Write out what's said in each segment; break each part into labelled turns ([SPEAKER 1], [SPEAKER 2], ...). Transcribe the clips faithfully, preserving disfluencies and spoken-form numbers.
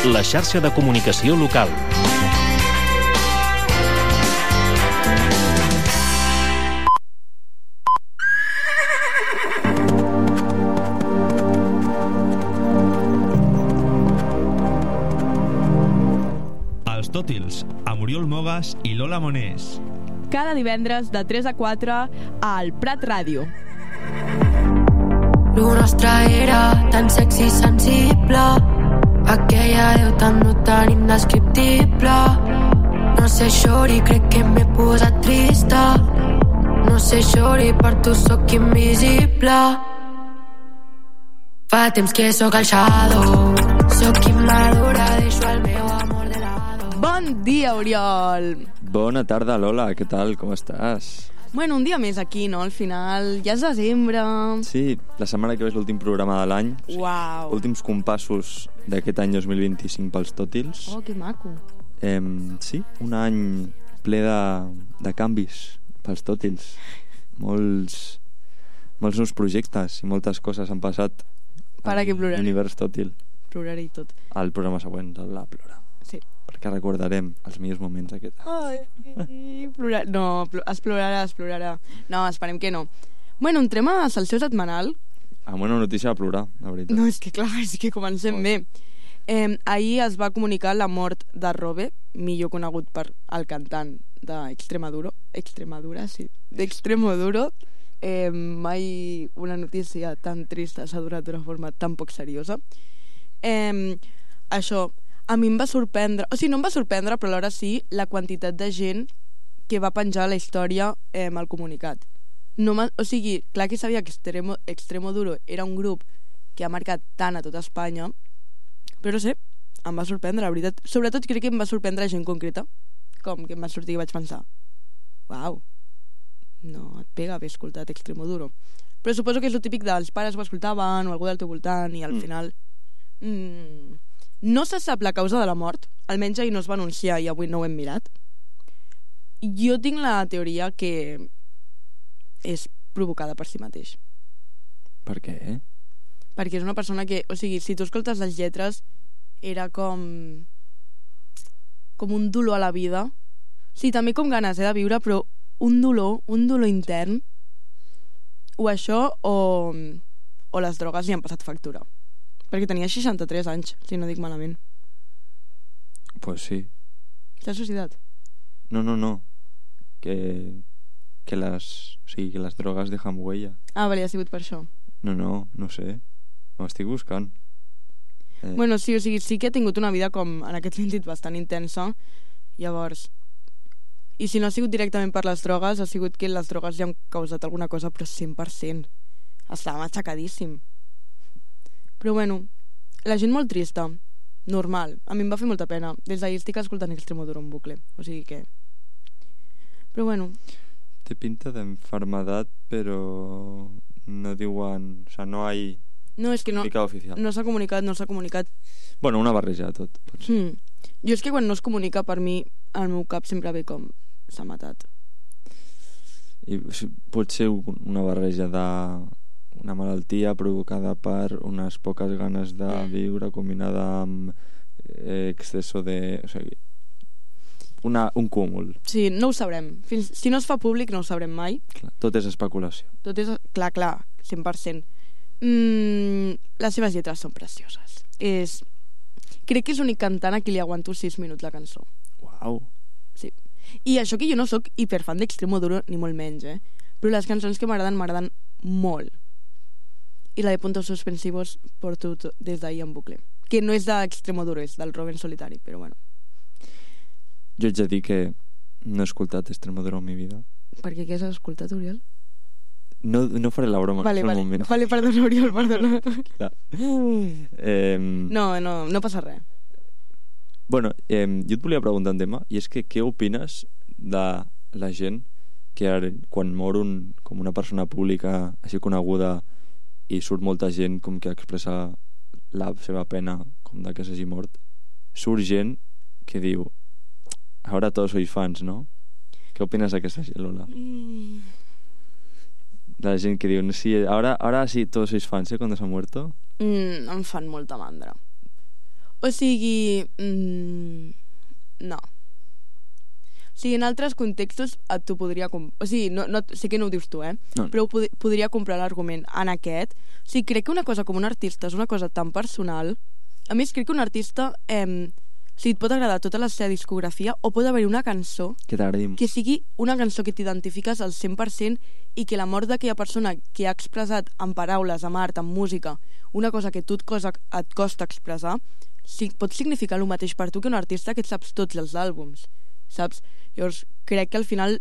[SPEAKER 1] la xarxa de comunicació local.
[SPEAKER 2] Els Tòtils, amb Oriol Mogas i Lola Monés.
[SPEAKER 3] Cada divendres de tres a quatre al Prat Ràdio.
[SPEAKER 4] Lo nostre era tan sexy i sensible, aquella veu tan no tan indescriptible. No sé, xori, crec que m'he posat trista. No sé, xori, per tu sóc invisible. Fa temps que sóc el shadow, sóc immadura, deixo el meu amor de lado.
[SPEAKER 3] Bon dia, Oriol.
[SPEAKER 5] Bona tarda, Lola, què tal, com estàs?
[SPEAKER 3] Bueno, un dia més aquí, no? Al final, ja és desembre.
[SPEAKER 5] Sí, la setmana que ve és l'últim programa de l'any.
[SPEAKER 3] Uau.
[SPEAKER 5] Últims compassos d'aquest any dos mil vint-i-cinc pels Tòtils.
[SPEAKER 3] Oh, que maco.
[SPEAKER 5] Eh, sí, un any ple de, de canvis pels Tòtils. Molts, molts nous projectes i moltes coses han passat
[SPEAKER 3] Para que ploraré.
[SPEAKER 5] L'univers Tòtil.
[SPEAKER 3] Ploraré i tot.
[SPEAKER 5] Al programa següent, el La Plora.
[SPEAKER 3] Sí.
[SPEAKER 5] Perquè recordarem els millors moments aquest.
[SPEAKER 3] Ai, plorar... No, pl es plorarà, es plorarà. No, esperem que no. Bueno, entrem a Salseu Setmanal.
[SPEAKER 5] Amb una notícia a plorar, la veritat.
[SPEAKER 3] No, és que clar, és que comencem oh. bé. Eh, ahir es va comunicar la mort de Robe, millor conegut per el cantant d'Extremadura. Extremadura, sí. D'Extremoduro. Eh, mai una notícia tan trista s'ha donat d'una forma tan poc seriosa. Eh, això... A mi em va sorprendre, o sigui, no em va sorprendre, però alhora sí, la quantitat de gent que va penjar la història eh, al comunicat. No o sigui, clar que sabia que Extremo, Extremoduro era un grup que ha marcat tant a tota Espanya, però no sé, em va sorprendre, la veritat. Sobretot crec que em va sorprendre gent concreta, com que em va sortir i vaig pensar, uau, no et pega haver escoltat Extremoduro. Però suposo que és el típic dels pares ho escoltaven o algú del teu voltant i al mm. final... Mm, no se sap la causa de la mort, almenys ahir no es va anunciar i avui no ho hem mirat. Jo tinc la teoria que és provocada per si mateix.
[SPEAKER 5] Per què? Eh?
[SPEAKER 3] Perquè és una persona que, o sigui, si tu escoltes les lletres, era com com un dolor a la vida. Sí, també com ganes eh, de viure, però un dolor, un dolor intern. O això o, o les drogues li han passat factura. Perquè tenia seixanta-tres anys, si no dic malament.
[SPEAKER 5] Pues sí.
[SPEAKER 3] T'has suïcidat?
[SPEAKER 5] No, no, no. Que, que les... O sigui, que les drogues dejan huella.
[SPEAKER 3] Ah, vale, ha sigut per això.
[SPEAKER 5] No, no, no sé. Ho estic buscant.
[SPEAKER 3] Eh. Bueno, sí, o sigui, sí que he tingut una vida com, en aquest sentit, bastant intensa. Llavors... I si no ha sigut directament per les drogues, ha sigut que les drogues li han causat alguna cosa, però cent per cent. Estava matxacadíssim. Però bueno, la gent molt trista, normal, a mi em va fer molta pena. Des d'ahir estic escoltant Extremoduro en bucle, o sigui que... Però bueno...
[SPEAKER 5] Té pinta d'enfermedad, però no diuen... O sea, no hay...
[SPEAKER 3] No, és que no, no s'ha comunicat, no s'ha comunicat.
[SPEAKER 5] Bueno, una barreja de tot, potser.
[SPEAKER 3] Hmm. Jo és que quan no es comunica, per mi, al meu cap sempre ve com... s'ha matat.
[SPEAKER 5] I pot ser una barreja de... una malaltia provocada per unes poques ganes de viure combinada amb eh, exceso de... O sigui, una, un cúmul.
[SPEAKER 3] Sí, no ho sabrem. Fins, si no es fa públic no ho sabrem mai.
[SPEAKER 5] Clar, tot és especulació.
[SPEAKER 3] Tot és... Clar, clar, cent per cent. Mm, les seves lletres són precioses. És... Crec que és l'únic cantant a qui li aguanto sis minuts la cançó.
[SPEAKER 5] Uau.
[SPEAKER 3] Sí. I això que jo no sóc hiperfan d'Extremoduro, ni molt menys, eh? Però les cançons que m'agraden, m'agraden molt. I la de Puntos Suspensivos porto des d'ahir en bucle. Que no és d'Extremoduro, és del Robe en solitari, però bueno.
[SPEAKER 5] Jo haig de dir que no he escoltat Extremoduro en mi vida.
[SPEAKER 3] Per què? Què has escoltat, Oriol?
[SPEAKER 5] No, no faré la broma.
[SPEAKER 3] Vale, vale, moment. Vale, perdona, Oriol, perdona.
[SPEAKER 5] eh,
[SPEAKER 3] no, no, no passa res.
[SPEAKER 5] Bueno, eh, jo et volia preguntar un tema, i és que què opines de la gent que ara, quan mor un, com una persona pública així coneguda i surt molta gent com que expressa la seva pena com de que s'hagi mort, surt gent que diu ara tots sois fans, no? Què opines d'aquesta gent, Lola? Mm. La gent que diu sí, ara, ara sí, tots sois fans, ¿eh? Cuando se ha muerto.
[SPEAKER 3] Mm, em fan molta mandra. O sigui... Mm, no. O sigui, en altres contextos et t'ho podria... Com... O sigui, no, no, sé que no ho dius tu, eh?
[SPEAKER 5] No.
[SPEAKER 3] Però ho pod podria comprar l'argument. En aquest, o sigui, crec que una cosa com un artista és una cosa tan personal. A més, crec que un artista... Eh, o sigui, et pot agradar tota la seva discografia o pot haver una cançó
[SPEAKER 5] Que t'agradi.
[SPEAKER 3] que sigui una cançó que t'identifiques al cent per cent i que la mort d'aquella persona que ha expressat en paraules, amb art, amb música, una cosa que tu et, cosa, et costa expressar, si, pot significar el mateix per tu que un artista que et saps tots els àlbums, saps? Llavors, crec que al final,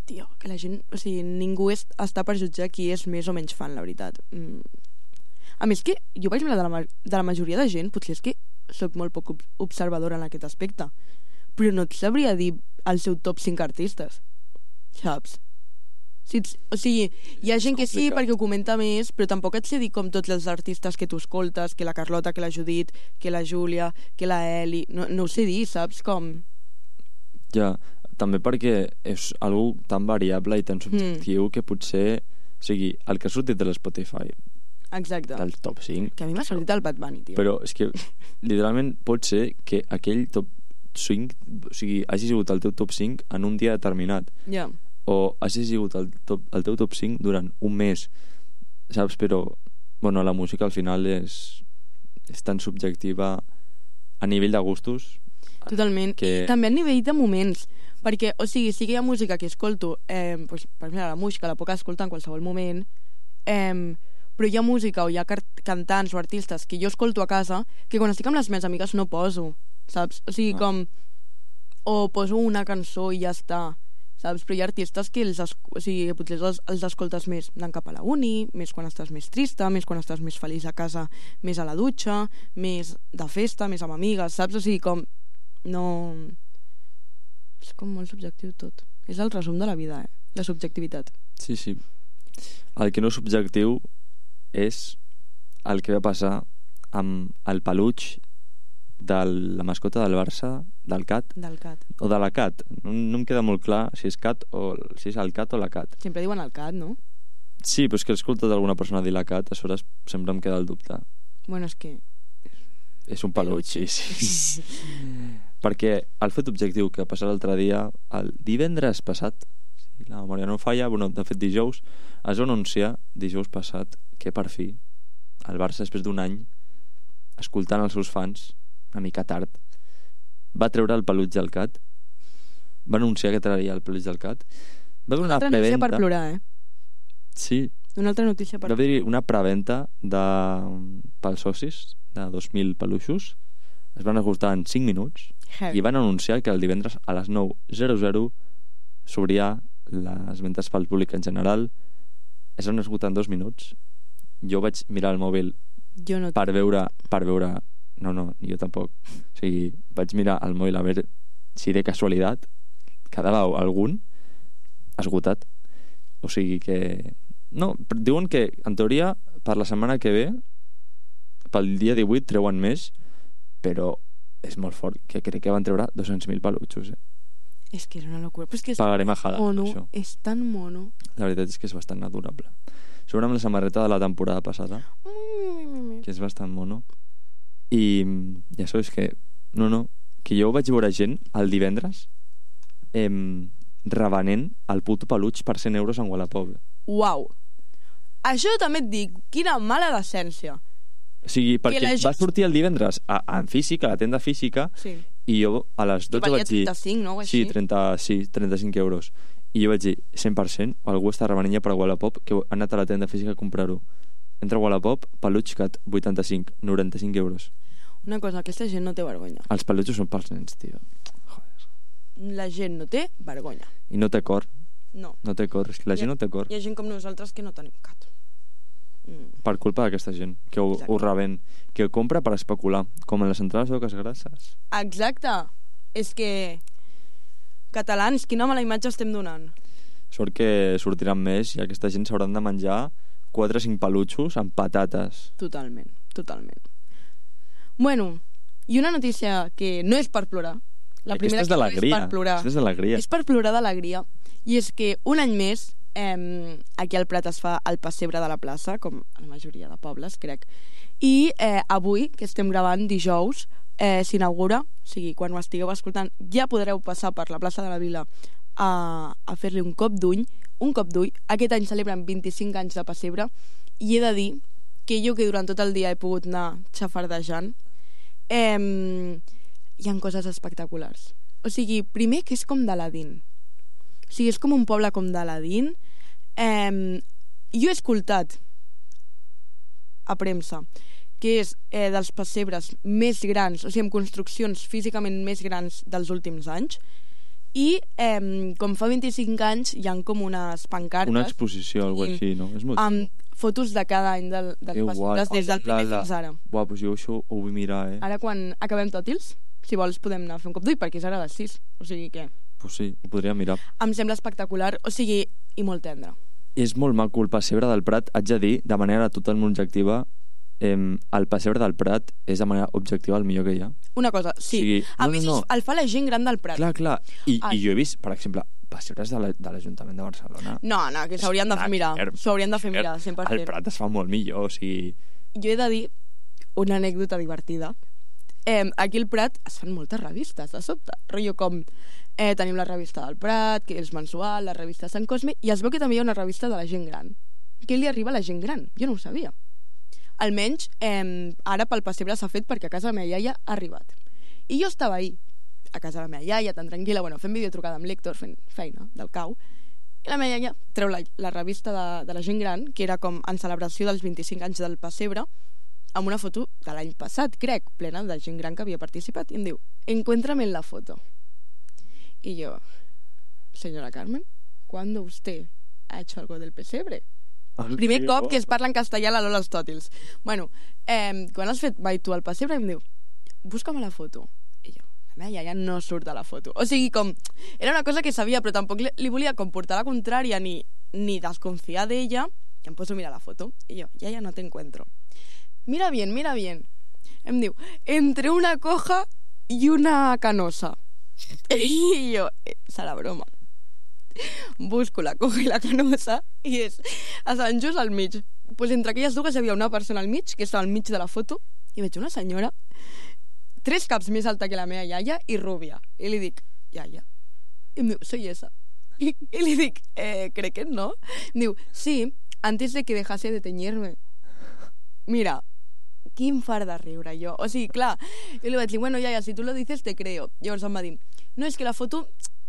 [SPEAKER 3] tio, que la gent... O sigui, ningú és, està per jutjar qui és més o menys fan, la veritat. Mm. A més que jo vaig mirar de la, de la majoria de gent, potser és que soc molt poc observadora en aquest aspecte, però no et sabria dir el seu top cinc artistes, saps? Si ets, o sigui, hi ha gent que sí perquè ho comenta més, però tampoc et sé dir com tots els artistes que tu escoltes, que la Carlota, que la Judit, que la Júlia, que la Eli, no, no ho sé dir, saps? Com...
[SPEAKER 5] Ja, també perquè és algo tan variable i tan subjectiu mm. que potser... O sigui, el que ha sortit de l'Spotify,
[SPEAKER 3] exacte,
[SPEAKER 5] del top cinc,
[SPEAKER 3] que a mi m'ha sortit el Bad Bunny, tio.
[SPEAKER 5] però és que literalment pot ser que aquell top cinc, o sigui, hagi sigut el teu top cinc en un dia determinat,
[SPEAKER 3] ja.
[SPEAKER 5] o hagi sigut el, top, el teu top cinc durant un mes, saps? Però bueno, la música al final és, és tan subjectiva a nivell de gustos.
[SPEAKER 3] Totalment, que... i també a nivell de moments, perquè, o sigui, sí que hi ha música que escolto, eh, pues, per exemple, la música la puc escoltar en qualsevol moment, eh, però hi ha música o hi ha cantants o artistes que jo escolto a casa que quan estic amb les meves amigues no poso, saps? O sigui, com... O poso una cançó i ja està, saps? Però hi ha artistes que els, o sigui, potser els, els escoltes més anant cap a la uni, més quan estàs més trista, més quan estàs més feliç a casa, més a la dutxa, més de festa, més amb amigues, saps? O sigui, com... No... És com molt subjectiu tot. És el resum de la vida, eh? La subjectivitat.
[SPEAKER 5] Sí, sí. El que no és subjectiu és el que va passar amb el peluig de la mascota del Barça, del Cat,
[SPEAKER 3] del Cat.
[SPEAKER 5] o de la Cat. No, no em queda molt clar si és Cat o si és el Cat o la Cat.
[SPEAKER 3] Sempre diuen el Cat, no?
[SPEAKER 5] Sí, però és que he escoltat alguna persona dir la Cat, a sobre sempre em queda el dubte.
[SPEAKER 3] Bueno, és que...
[SPEAKER 5] És un peluig, sí, sí. Perquè el fet objectiu que va passar l'altre dia, el divendres passat, si la memòria no falla, bueno, de fet dijous, es va anunciar dijous passat que per fi el Barça, després d'un any escoltant els seus fans, una mica tard, va treure el peluig del Cat, va anunciar que trauria el peluig del Cat, va haver una,
[SPEAKER 3] una altra
[SPEAKER 5] preventa...
[SPEAKER 3] notícia per plorar, eh?
[SPEAKER 5] Sí.
[SPEAKER 3] Una altra notícia per...
[SPEAKER 5] Va haver-hi una preventa de... pels socis de dos mil peluixos, es van esgotar en cinc minuts. Heavy. I van anunciar que el divendres a les nou zero zero s'obria les ventes pel públic en general. Es van esgotar en dos minuts. Jo vaig mirar el mòbil
[SPEAKER 3] jo no
[SPEAKER 5] per veure per veure no, no, jo tampoc, o sigui, vaig mirar el mòbil a veure si de casualitat quedava algun esgotat, o sigui que no, diuen que en teoria per la setmana que ve pel dia divuit treuen més, però és molt fort, que crec que van treure dos-cents mil peluixos, eh?
[SPEAKER 3] És que és una locura, però és que és
[SPEAKER 5] pagaré majada,
[SPEAKER 3] mono,
[SPEAKER 5] això.
[SPEAKER 3] És tan mono.
[SPEAKER 5] La veritat és que és bastant adorable. Sobre amb la samarreta de la temporada passada,
[SPEAKER 3] mm.
[SPEAKER 5] que és bastant mono. I ja això és que no, no, que jo vaig veure gent el divendres eh, revenent el puto peluig per cent euros en Wallapop.
[SPEAKER 3] Uau, això també et dic, quina mala decència.
[SPEAKER 5] O sigui, perquè
[SPEAKER 3] gent...
[SPEAKER 5] va sortir el divendres a, a, en física, a la tenda física,
[SPEAKER 3] sí.
[SPEAKER 5] I jo a les dotze vaig dir...
[SPEAKER 3] trenta-cinc, no?
[SPEAKER 5] Sí, trenta, sí, trenta-cinc euros. I jo vaig dir, cent per cent, algú està revenint ja per Wallapop, que ha anat a la tenda física a comprar-ho. Entra a Wallapop, peluig Cat, vuitanta-cinc, noranta-cinc euros.
[SPEAKER 3] Una cosa, aquesta gent no té vergonya.
[SPEAKER 5] Els peluixos són pels nens, tio. Joder.
[SPEAKER 3] La gent no té vergonya.
[SPEAKER 5] I no té cor.
[SPEAKER 3] No.
[SPEAKER 5] No té cor, és que la gent no té cor.
[SPEAKER 3] Hi ha gent com nosaltres que no tenim cat.
[SPEAKER 5] Mm. Per culpa d'aquesta gent, que ho, ho revent, que ho compra per especular, com en les entrades d'oques grasses.
[SPEAKER 3] Exacte. És que... Catalans, quina mala imatge estem donant.
[SPEAKER 5] Sort que sortiran més i aquesta gent s'hauran de menjar quatre o cinc peluixos amb patates.
[SPEAKER 3] Totalment, totalment. Bueno, i una notícia que no és per plorar. La primera
[SPEAKER 5] és
[SPEAKER 3] que no
[SPEAKER 5] és per plorar.
[SPEAKER 3] És per plorar d'alegria. I és que un any més eh, aquí al Prat es fa el pessebre de la plaça, com a la majoria de pobles, crec. I eh, avui, que estem gravant dijous, eh, s'inaugura, o sigui, quan ho estigueu escoltant, ja podreu passar per la plaça de la Vila a, a fer-li un cop d'ull, un cop d'ull. Aquest any celebren vint-i-cinc anys de pessebre i he de dir que jo, que durant tot el dia he pogut anar xafardejant, eh, hi ha coses espectaculars. O sigui, primer que és com d'Aladín. O sigui, és com un poble com d'Aladín. Eh, jo he escoltat a premsa que és eh, dels pessebres més grans, o sigui, amb construccions físicament més grans dels últims anys. I eh, com fa vint-i-cinc anys hi ha com unes pancartes,
[SPEAKER 5] una exposició, algo
[SPEAKER 3] sí,
[SPEAKER 5] així, no? És molt...
[SPEAKER 3] amb fotos de cada any del, dels
[SPEAKER 5] Que
[SPEAKER 3] pessebres
[SPEAKER 5] guai.
[SPEAKER 3] des del primer
[SPEAKER 5] La- la-
[SPEAKER 3] fins ara.
[SPEAKER 5] Buah, doncs jo això ho vull mirar, eh?
[SPEAKER 3] Ara quan acabem tòtils, si vols podem anar a fer un cop d'ull, perquè és ara a les sis, o sigui que
[SPEAKER 5] Pues sí, ho podria mirar.
[SPEAKER 3] em sembla espectacular, o sigui, i molt tendre.
[SPEAKER 5] És molt maco el pessebre del Prat, haig de dir, de manera totalment objectiva, eh, el pessebre del Prat és de manera objectiva el millor que hi ha.
[SPEAKER 3] Una cosa, sí,
[SPEAKER 5] O sigui,
[SPEAKER 3] a
[SPEAKER 5] no,
[SPEAKER 3] més
[SPEAKER 5] no, no.
[SPEAKER 3] el fa la gent gran del Prat.
[SPEAKER 5] Clar, clar. I,
[SPEAKER 3] Ai.
[SPEAKER 5] I jo he vist, per exemple, pessebres de la- de l'Ajuntament de Barcelona.
[SPEAKER 3] No, no, que s'haurien de fer mirar, s'ho haurien de fer mirar, cent per cent.
[SPEAKER 5] El Prat es fa molt millor, o sigui...
[SPEAKER 3] Jo he de dir una anècdota divertida. Eh, aquí al Prat es fan moltes revistes, de sobte. Rotllo com eh, tenim la revista del Prat, que és mensual, la revista Sant Cosme, i es veu que també hi ha una revista de la gent gran. Què li arriba a la gent gran? Jo no ho sabia. Almenys, eh, ara pel pessebre s'ha fet perquè a casa de la meva iaia ha arribat. I jo estava ahir, a casa de la meva iaia, tan tranquil·la, bueno, fent videotrucada amb l'Héctor, fent feina del cau, i la meva iaia treu la, la revista de, de la gent gran, que era com en celebració dels vint-i-cinc anys del pessebre, amb una foto de l'any passat, crec, plena de gent gran que havia participat, i em diu, encuéntrame en la foto. Y yo, señora Carmen, ¿cuándo usted ha hecho algo del pesebre?
[SPEAKER 5] El
[SPEAKER 3] Primer
[SPEAKER 5] que-
[SPEAKER 3] cop que es parla en castellà a la Lola als Tòtils. Bueno, eh, quan has fet mai tu al pessebre, em diu, busca'm la foto. I jo, la meva iaia no surt de la foto. O sigui, com, era una cosa que sabia, però tampoc li, li volia com portar la contrària ni, ni desconfiar d'ella, i em poso a mirar la foto. I jo, iaia, no t'encuentro. Mira bien, mira bien. Em diu, entre una coja i una canosa. I jo, eh, serà broma. Busco la coja i la canosa i és a Sant Just al mig. Pues entre aquelles dues hi havia una persona al mig, que estava al mig de la foto, i veig una senyora tres caps més alta que la meva iaia i rúbia. I li dic, iaia. I em diu, soy esa. I, i li dic, eh, crec que no. Em diu, sí, antes de que dejase de teñirme. Mira, quin far de riure jo. O sigui, clar, jo li vaig dir, bueno, iaia, si tu lo dices te creo. Llavors em va dir, no, és que la foto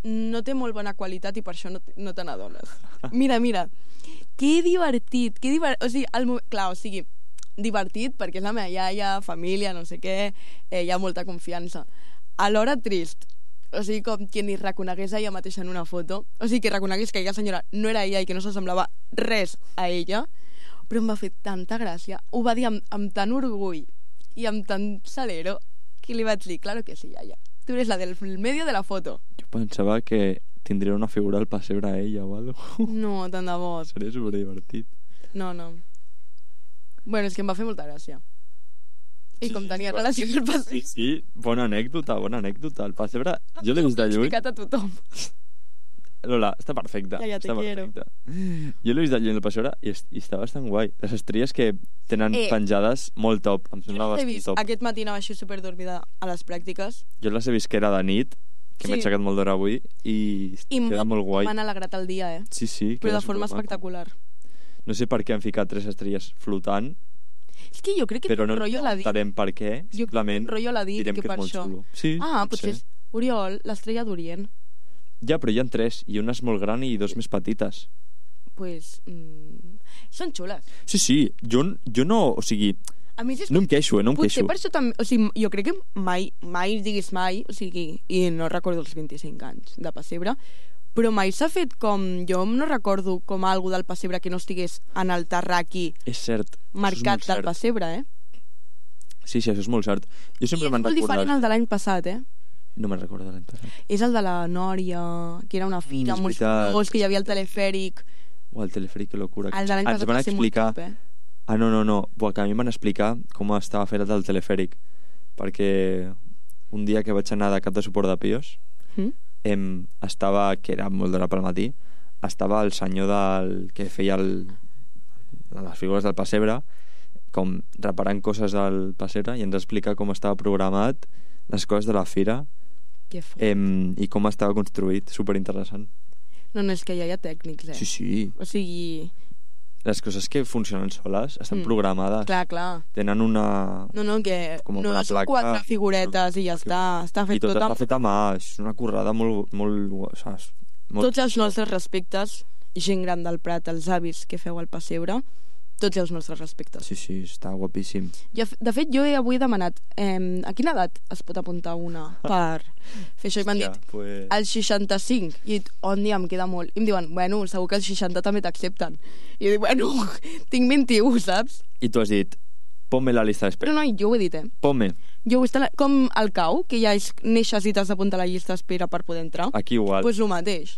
[SPEAKER 3] no té molt bona qualitat i per això no, no te n'adones. Mira, mira, que divertit, que divertit. O sigui, el, mo- clar, o sigui, divertit perquè és la meva iaia, família, no sé què, eh, hi ha molta confiança. Alhora trist, o sigui, com que ni reconegués a ella mateixa en una foto, o sigui, que reconegués que aquella senyora no era ella i que no s'assemblava res a ella, però em va fer tanta gràcia, ho va dir amb, amb tant orgull i amb tant salero que li vaig dir, claro que sí, iaia, tu eres la del medio de la foto.
[SPEAKER 5] Jo pensava que tindria una figura al pessebre a ella o algo.
[SPEAKER 3] No, tant de bo.
[SPEAKER 5] Seria superdivertit.
[SPEAKER 3] No, no. Bueno, és que em va fer molta gràcia. I com tenia relació amb el passeig,
[SPEAKER 5] Sí, sí, bona anècdota, bona anècdota. El pessebre, jo l'he vist de
[SPEAKER 3] he
[SPEAKER 5] lluny.
[SPEAKER 3] explicat a tothom.
[SPEAKER 5] Lola, està perfecta.
[SPEAKER 3] Ja, ja te
[SPEAKER 5] està
[SPEAKER 3] quiero.
[SPEAKER 5] perfecta. Jo l'he vist de lluny el pessebre i, est- i està bastant guai. Les estrelles que tenen
[SPEAKER 3] Eh.
[SPEAKER 5] penjades molt top. Em sembla
[SPEAKER 3] He
[SPEAKER 5] bastant
[SPEAKER 3] vist,
[SPEAKER 5] top.
[SPEAKER 3] aquest matí anava així superdormida a les pràctiques
[SPEAKER 5] Jo les he vist que era de nit, que
[SPEAKER 3] Sí.
[SPEAKER 5] m'he aixecat molt d'hora avui i,
[SPEAKER 3] i
[SPEAKER 5] queda molt guai.
[SPEAKER 3] m'han alegrat el dia, eh?
[SPEAKER 5] Sí, sí.
[SPEAKER 3] Però
[SPEAKER 5] queda
[SPEAKER 3] de forma
[SPEAKER 5] supermaco.
[SPEAKER 3] espectacular.
[SPEAKER 5] No sé per què han ficat tres estrelles flotant,
[SPEAKER 3] És que jo crec que
[SPEAKER 5] però
[SPEAKER 3] té
[SPEAKER 5] no
[SPEAKER 3] un rotllo Aladí.
[SPEAKER 5] entenem per què.
[SPEAKER 3] Jo
[SPEAKER 5] Simplement
[SPEAKER 3] rotllo Aladí,
[SPEAKER 5] direm
[SPEAKER 3] que
[SPEAKER 5] que,
[SPEAKER 3] per
[SPEAKER 5] és molt
[SPEAKER 3] això.
[SPEAKER 5] xulo. Sí,
[SPEAKER 3] Ah,
[SPEAKER 5] pot
[SPEAKER 3] potser
[SPEAKER 5] ser.
[SPEAKER 3] és Oriol, l'estrella d'Orient.
[SPEAKER 5] Ja, però hi ha tres, i una és molt gran i dos més petites.
[SPEAKER 3] Pues, mm, són xules.
[SPEAKER 5] Sí, sí, jo, jo no, o sigui,
[SPEAKER 3] A més, és
[SPEAKER 5] no em queixo, eh, no em
[SPEAKER 3] potser
[SPEAKER 5] queixo.
[SPEAKER 3] per això també... O sigui, jo crec que mai, mai diguis mai, o sigui, i no recordo els vint-i-cinc anys de pessebre, però mai s'ha fet com... Jo no recordo com algú del pessebre que no estigués en el terraqui
[SPEAKER 5] És cert.
[SPEAKER 3] marcat
[SPEAKER 5] això és
[SPEAKER 3] del
[SPEAKER 5] molt cert.
[SPEAKER 3] pessebre, eh?
[SPEAKER 5] Sí, sí, això és molt cert. Jo
[SPEAKER 3] I
[SPEAKER 5] sempre
[SPEAKER 3] és
[SPEAKER 5] me'n
[SPEAKER 3] molt diferent
[SPEAKER 5] recordat...
[SPEAKER 3] al de l'any passat, eh?
[SPEAKER 5] No me'n recordo de l'any passat.
[SPEAKER 3] És el de la Nòria, que era una fira
[SPEAKER 5] és
[SPEAKER 3] amb uns
[SPEAKER 5] veritat.
[SPEAKER 3] fogons, que hi havia el telefèric.
[SPEAKER 5] O el telefèric, que locura.
[SPEAKER 3] El de l'any
[SPEAKER 5] Ens
[SPEAKER 3] passat
[SPEAKER 5] van
[SPEAKER 3] va ser molt
[SPEAKER 5] explicar...
[SPEAKER 3] top, eh?
[SPEAKER 5] Ah, no, no, no. Buah, que a mi em van explicar com estava fet el telefèric. Perquè un dia que vaig anar de cap de suport de Pios,
[SPEAKER 3] Mm?
[SPEAKER 5] em, estava, que era molt d'hora pel matí, estava el senyor del, que feia el, les figures del pessebre, com reparant coses del pessebre, i ens explica com estava programat, les coses de la fira,
[SPEAKER 3] Que fort.
[SPEAKER 5] eh, i com estava construït. Superinteressant.
[SPEAKER 3] No, no, és que ja hi ha tècnics, eh?
[SPEAKER 5] Sí, sí.
[SPEAKER 3] O sigui...
[SPEAKER 5] Les coses que funcionen soles estan
[SPEAKER 3] Mm.
[SPEAKER 5] programades.
[SPEAKER 3] Clar, clar.
[SPEAKER 5] Tenen una...
[SPEAKER 3] No, no, que
[SPEAKER 5] Com
[SPEAKER 3] no
[SPEAKER 5] una
[SPEAKER 3] són
[SPEAKER 5] placa.
[SPEAKER 3] quatre figuretes i ja està. Està fet
[SPEAKER 5] I tot
[SPEAKER 3] tot
[SPEAKER 5] està
[SPEAKER 3] amb...
[SPEAKER 5] fet a mà. És una currada molt... molt, saps? molt...
[SPEAKER 3] Tots els nostres respectes, gent gran del Prat, els avis que feu al pessebre, tots els nostres respectes.
[SPEAKER 5] Sí, sí, està guapíssim.
[SPEAKER 3] Jo, de fet, jo he avui demanat eh, a quina edat es pot apuntar una per fer això, i m'han dit
[SPEAKER 5] pues...
[SPEAKER 3] als seixanta-cinc, i he dit, on dia em queda molt, i em diuen, bueno, segur que als seixanta també t'accepten, i jo dic, bueno, tinc vint-i-u, saps?
[SPEAKER 5] I tu has dit, ponme la llista d'espera.
[SPEAKER 3] Però no, jo ho he dit, eh?
[SPEAKER 5] Ponme.
[SPEAKER 3] Jo ho he estat, com al cau, que ja és neixes i t'has d'apuntar a la llista d'espera per poder entrar,
[SPEAKER 5] Aquí igual.
[SPEAKER 3] doncs pues el mateix.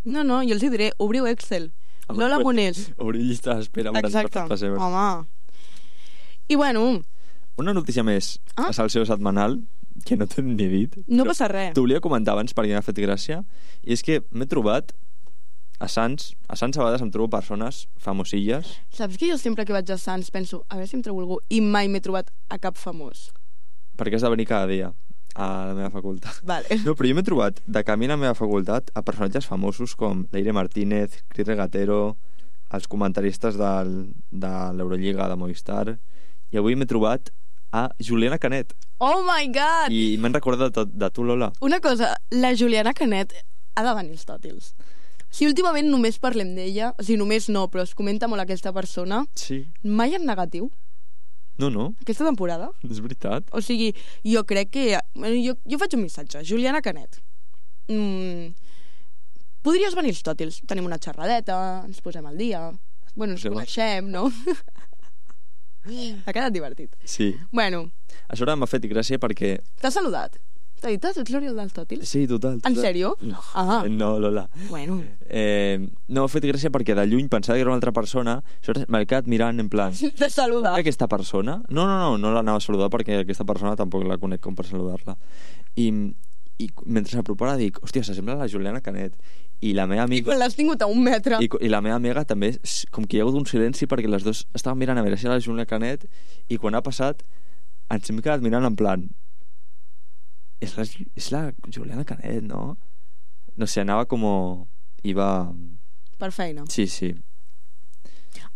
[SPEAKER 3] No, no, jo els hi diré, obriu Excel.
[SPEAKER 5] Home,
[SPEAKER 3] Lola
[SPEAKER 5] pues,
[SPEAKER 3] Monés.
[SPEAKER 5] Obrir llista d'espera per
[SPEAKER 3] Exacte.
[SPEAKER 5] per pessebre.
[SPEAKER 3] Home. I bueno,
[SPEAKER 5] Una notícia més,
[SPEAKER 3] Ah?
[SPEAKER 5] a Salseo Setmanal, que no t'he ni dit.
[SPEAKER 3] no
[SPEAKER 5] però
[SPEAKER 3] passa res.
[SPEAKER 5] T'ho volia comentar abans perquè m'ha fet gràcia, i és que m'he trobat a Sants, a Sants a vegades em trobo persones famosilles,
[SPEAKER 3] Saps que jo sempre que vaig a Sants penso, a veure si em trobo algú, i mai m'he trobat a cap famós.
[SPEAKER 5] perquè has de venir cada dia a la meva facultat.
[SPEAKER 3] Vale.
[SPEAKER 5] No, però jo m'he trobat de camí a la meva facultat a personatges famosos com Leire Martínez, Cris Regatero, els comentaristes del, de l'Eurolliga de Movistar, i avui m'he trobat a Juliana Canet.
[SPEAKER 3] Oh my god!
[SPEAKER 5] I m'han recordat de, de tu, Lola.
[SPEAKER 3] Una cosa, la Juliana Canet ha de venir als tòtils. Si últimament només parlem d'ella, o sigui, només no, però es comenta molt aquesta persona,
[SPEAKER 5] Sí.
[SPEAKER 3] mai en negatiu,
[SPEAKER 5] No, no,
[SPEAKER 3] aquesta temporada.
[SPEAKER 5] és veritat.
[SPEAKER 3] O sigui, jo crec que... Bueno, jo, jo faig un missatge. Juliana Canet. Mm, podries venir als tòtils. Tenim una xerradeta, ens posem al dia. Bueno, ens
[SPEAKER 5] Sí, va.
[SPEAKER 3] coneixem, no? Ha quedat divertit.
[SPEAKER 5] Sí.
[SPEAKER 3] Bueno,
[SPEAKER 5] A sobre m'ha fet gràcia perquè...
[SPEAKER 3] t'ha saludat. T'ha dit, ets l'Oriol dels tòtils?
[SPEAKER 5] Sí, total. total.
[SPEAKER 3] En sèrio?
[SPEAKER 5] No,
[SPEAKER 3] Ah.
[SPEAKER 5] no, Lola.
[SPEAKER 3] Bueno,
[SPEAKER 5] Eh, no, m'ha fet gràcia perquè de lluny pensava que era una altra persona, aleshores m'he quedat mirant en plan...
[SPEAKER 3] t'ha saludat.
[SPEAKER 5] Aquesta persona? No, no, no, no l'anava a saludar perquè aquesta persona tampoc la conec com per saludar-la. I, i mentre s'apropava dic, hòstia, s'assembla a la Juliana Canet. I la meva
[SPEAKER 3] I
[SPEAKER 5] amiga...
[SPEAKER 3] quan l'has tingut a un metre.
[SPEAKER 5] I, I la meva amiga també, s- com que hi ha hagut un silenci perquè les dues estaven mirant a veure si era la Juliana Canet, i quan ha passat ens hem quedat mirant en plan és la, és la Juliana Canet, no? No sé, anava com... Iba...
[SPEAKER 3] Per feina.
[SPEAKER 5] Sí, sí.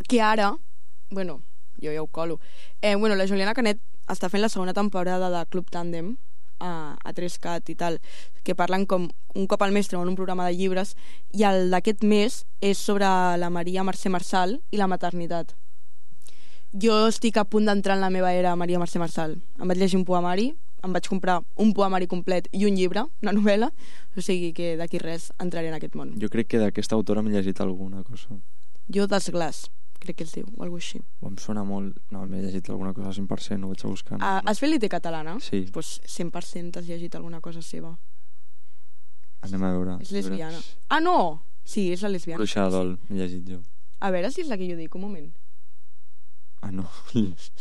[SPEAKER 3] Que ara, bueno, jo ja ho colo, eh, bueno, la Juliana Canet està fent la segona temporada de Club Tàndem a, a tres cat i tal, que parlen com un cop al mes treuen un programa de llibres, i el d'aquest mes és sobre la Maria Mercè Marçal i la maternitat. Jo estic a punt d'entrar en la meva era Maria Mercè Marçal. Em vaig llegir un poemari, em vaig comprar un poemari complet i un llibre, una novel·la, o sigui que d'aquí res entraré en aquest món.
[SPEAKER 5] Jo crec que d'aquesta autora m'he llegit alguna cosa.
[SPEAKER 3] Jo Desglaç, crec que es diu, o alguna així.
[SPEAKER 5] Em sona molt... No, m'he llegit alguna cosa cent per cent, ho vaig a buscar. No?
[SPEAKER 3] Ah, has fet l'I T catalana?
[SPEAKER 5] Sí.
[SPEAKER 3] Doncs pues cent per cent has llegit alguna cosa seva.
[SPEAKER 5] Anem a veure.
[SPEAKER 3] És lesbiana. Ah, no! Sí, és la lesbiana.
[SPEAKER 5] Bruixa de dol, m'he llegit jo.
[SPEAKER 3] A veure si és la que jo dic, un moment.
[SPEAKER 5] Ah, no.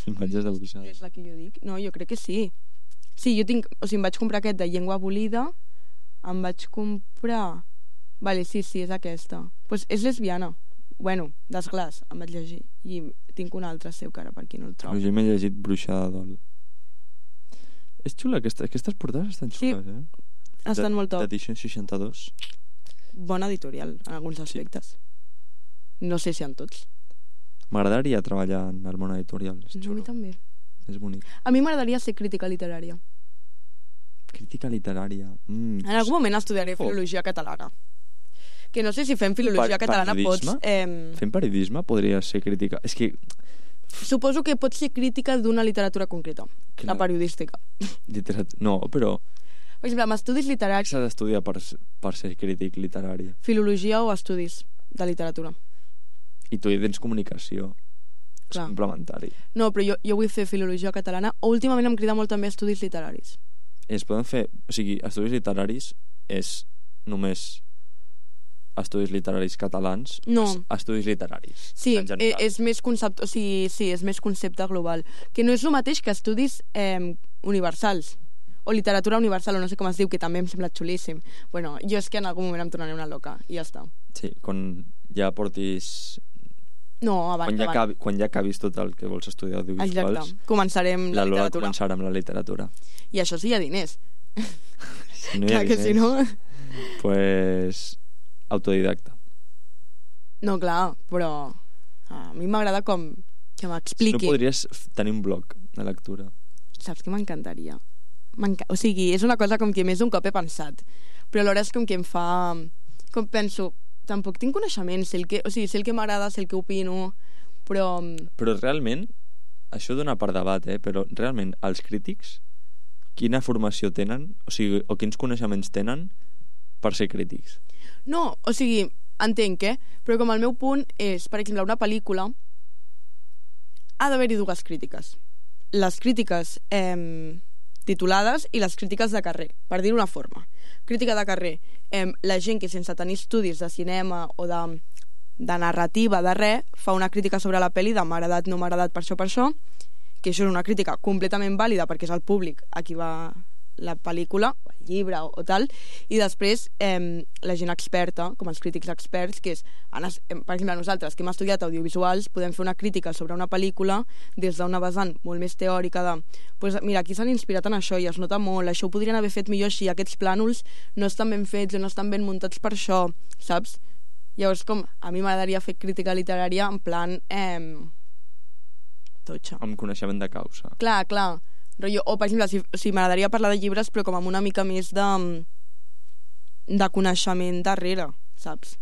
[SPEAKER 5] Imatges de Bruixa de
[SPEAKER 3] És
[SPEAKER 5] dol.
[SPEAKER 3] la que jo dic? No, jo crec que sí. Sí, jo tinc... O sigui, em vaig comprar aquest de llengua abolida, em vaig comprar... Vale, sí, sí, és aquesta. Doncs pues és lesbiana. Bueno, Desglaç, em vaig llegir. I tinc una altra seu, que ara per aquí no el trobo.
[SPEAKER 5] Però jo m'he llegit Bruixa de dol. És xula, aquesta, aquestes portades estan
[SPEAKER 3] Sí.
[SPEAKER 5] xules, eh?
[SPEAKER 3] Estan molt top.
[SPEAKER 5] D'edició seixanta-dos.
[SPEAKER 3] Bona editorial, en alguns aspectes. No sé si en tots.
[SPEAKER 5] M'agradaria treballar en el món editorial. És
[SPEAKER 3] No, a mi
[SPEAKER 5] xulo,
[SPEAKER 3] també.
[SPEAKER 5] és bonic.
[SPEAKER 3] A mi m'agradaria ser crítica literària.
[SPEAKER 5] Crítica literària. Mm.
[SPEAKER 3] En algun moment estudiaré
[SPEAKER 5] Oh.
[SPEAKER 3] filologia catalana. Que no sé si fem filologia
[SPEAKER 5] Per-
[SPEAKER 3] catalana
[SPEAKER 5] periodisme?
[SPEAKER 3] pots... Eh,
[SPEAKER 5] Fent periodisme podria ser crítica. És que...
[SPEAKER 3] suposo que pots ser crítica d'una literatura concreta,
[SPEAKER 5] Clar.
[SPEAKER 3] la periodística.
[SPEAKER 5] Literat... No, però
[SPEAKER 3] Per exemple, amb estudis literaris,
[SPEAKER 5] s'ha d'estudiar per, per ser crític literari.
[SPEAKER 3] filologia o estudis de literatura.
[SPEAKER 5] I tu hi tens comunicació. És
[SPEAKER 3] Clar.
[SPEAKER 5] complementari.
[SPEAKER 3] No, però jo, jo vull fer filologia catalana, o últimament em crida molt també estudis literaris.
[SPEAKER 5] Es poden fer... O sigui, estudis literaris és només estudis literaris catalans.
[SPEAKER 3] No.
[SPEAKER 5] es- Estudis literaris.
[SPEAKER 3] Sí,
[SPEAKER 5] en
[SPEAKER 3] eh,
[SPEAKER 5] general.
[SPEAKER 3] és més concepte, o sigui, sí, és més concepte global. Que no és el mateix que estudis eh, universals. o literatura universal, o no sé com es diu, que també em sembla xulíssim. Bueno, jo és que en algun moment em tornaré una loca, i ja està.
[SPEAKER 5] Sí, quan ja portis...
[SPEAKER 3] No, abans,
[SPEAKER 5] quan ja,
[SPEAKER 3] abans.
[SPEAKER 5] acabi, quan ja acabis tot el que vols estudiar audiovisuals...
[SPEAKER 3] Exacte. Començarem la,
[SPEAKER 5] la Lola
[SPEAKER 3] literatura.
[SPEAKER 5] començarà amb la literatura.
[SPEAKER 3] I això sí hi ha diners.
[SPEAKER 5] Si no hi ha
[SPEAKER 3] Clar que
[SPEAKER 5] diners,
[SPEAKER 3] si no...
[SPEAKER 5] pues, autodidacta.
[SPEAKER 3] No, clar, però a mi m'agrada com que
[SPEAKER 5] Si no
[SPEAKER 3] m'expliqui.
[SPEAKER 5] podries tenir un blog de lectura.
[SPEAKER 3] Saps que m'encantaria? M'enca... O sigui, és una cosa com que més d'un cop he pensat, però alhora és com que em fa... Com penso, tampoc tinc coneixement, sé el que, o sigui, sé el que m'agrada, sé el que opino, però...
[SPEAKER 5] Però realment, això dona per debat, eh? Però realment, els crítics, quina formació tenen, o sigui, o quins coneixements tenen per ser crítics?
[SPEAKER 3] No, o sigui, entenc, eh? Però com el meu punt és, per exemple, una pel·lícula ha d'haver-hi dues crítiques. Les crítiques eh, titulades i les crítiques de carrer, per dir-ho una forma. Crítica de carrer, eh, la gent que sense tenir estudis de cinema o de, de narrativa, de res, fa una crítica sobre la pel·li de m'ha agradat, no m'ha agradat, per això, per això, que això és una crítica completament vàlida perquè és el públic a qui va la pel·lícula, o el llibre o, o tal, i després eh, la gent experta, com els crítics experts, que és, per exemple, nosaltres que hem estudiat audiovisuals, podem fer una crítica sobre una pel·lícula des d'una vessant molt més teòrica de, pues, mira, aquí s'han inspirat en això i es nota molt, això ho podrien haver fet millor així, aquests plànols no estan ben fets o no estan ben muntats per això, saps? Llavors, com, a mi m'agradaria fer crítica literària en plan eh, totxa.
[SPEAKER 5] Amb coneixement de causa.
[SPEAKER 3] Clar, clar. Rollo, o, per exemple, si, si m'agradaria parlar de llibres, però com amb una mica més de, de coneixement darrere, saps?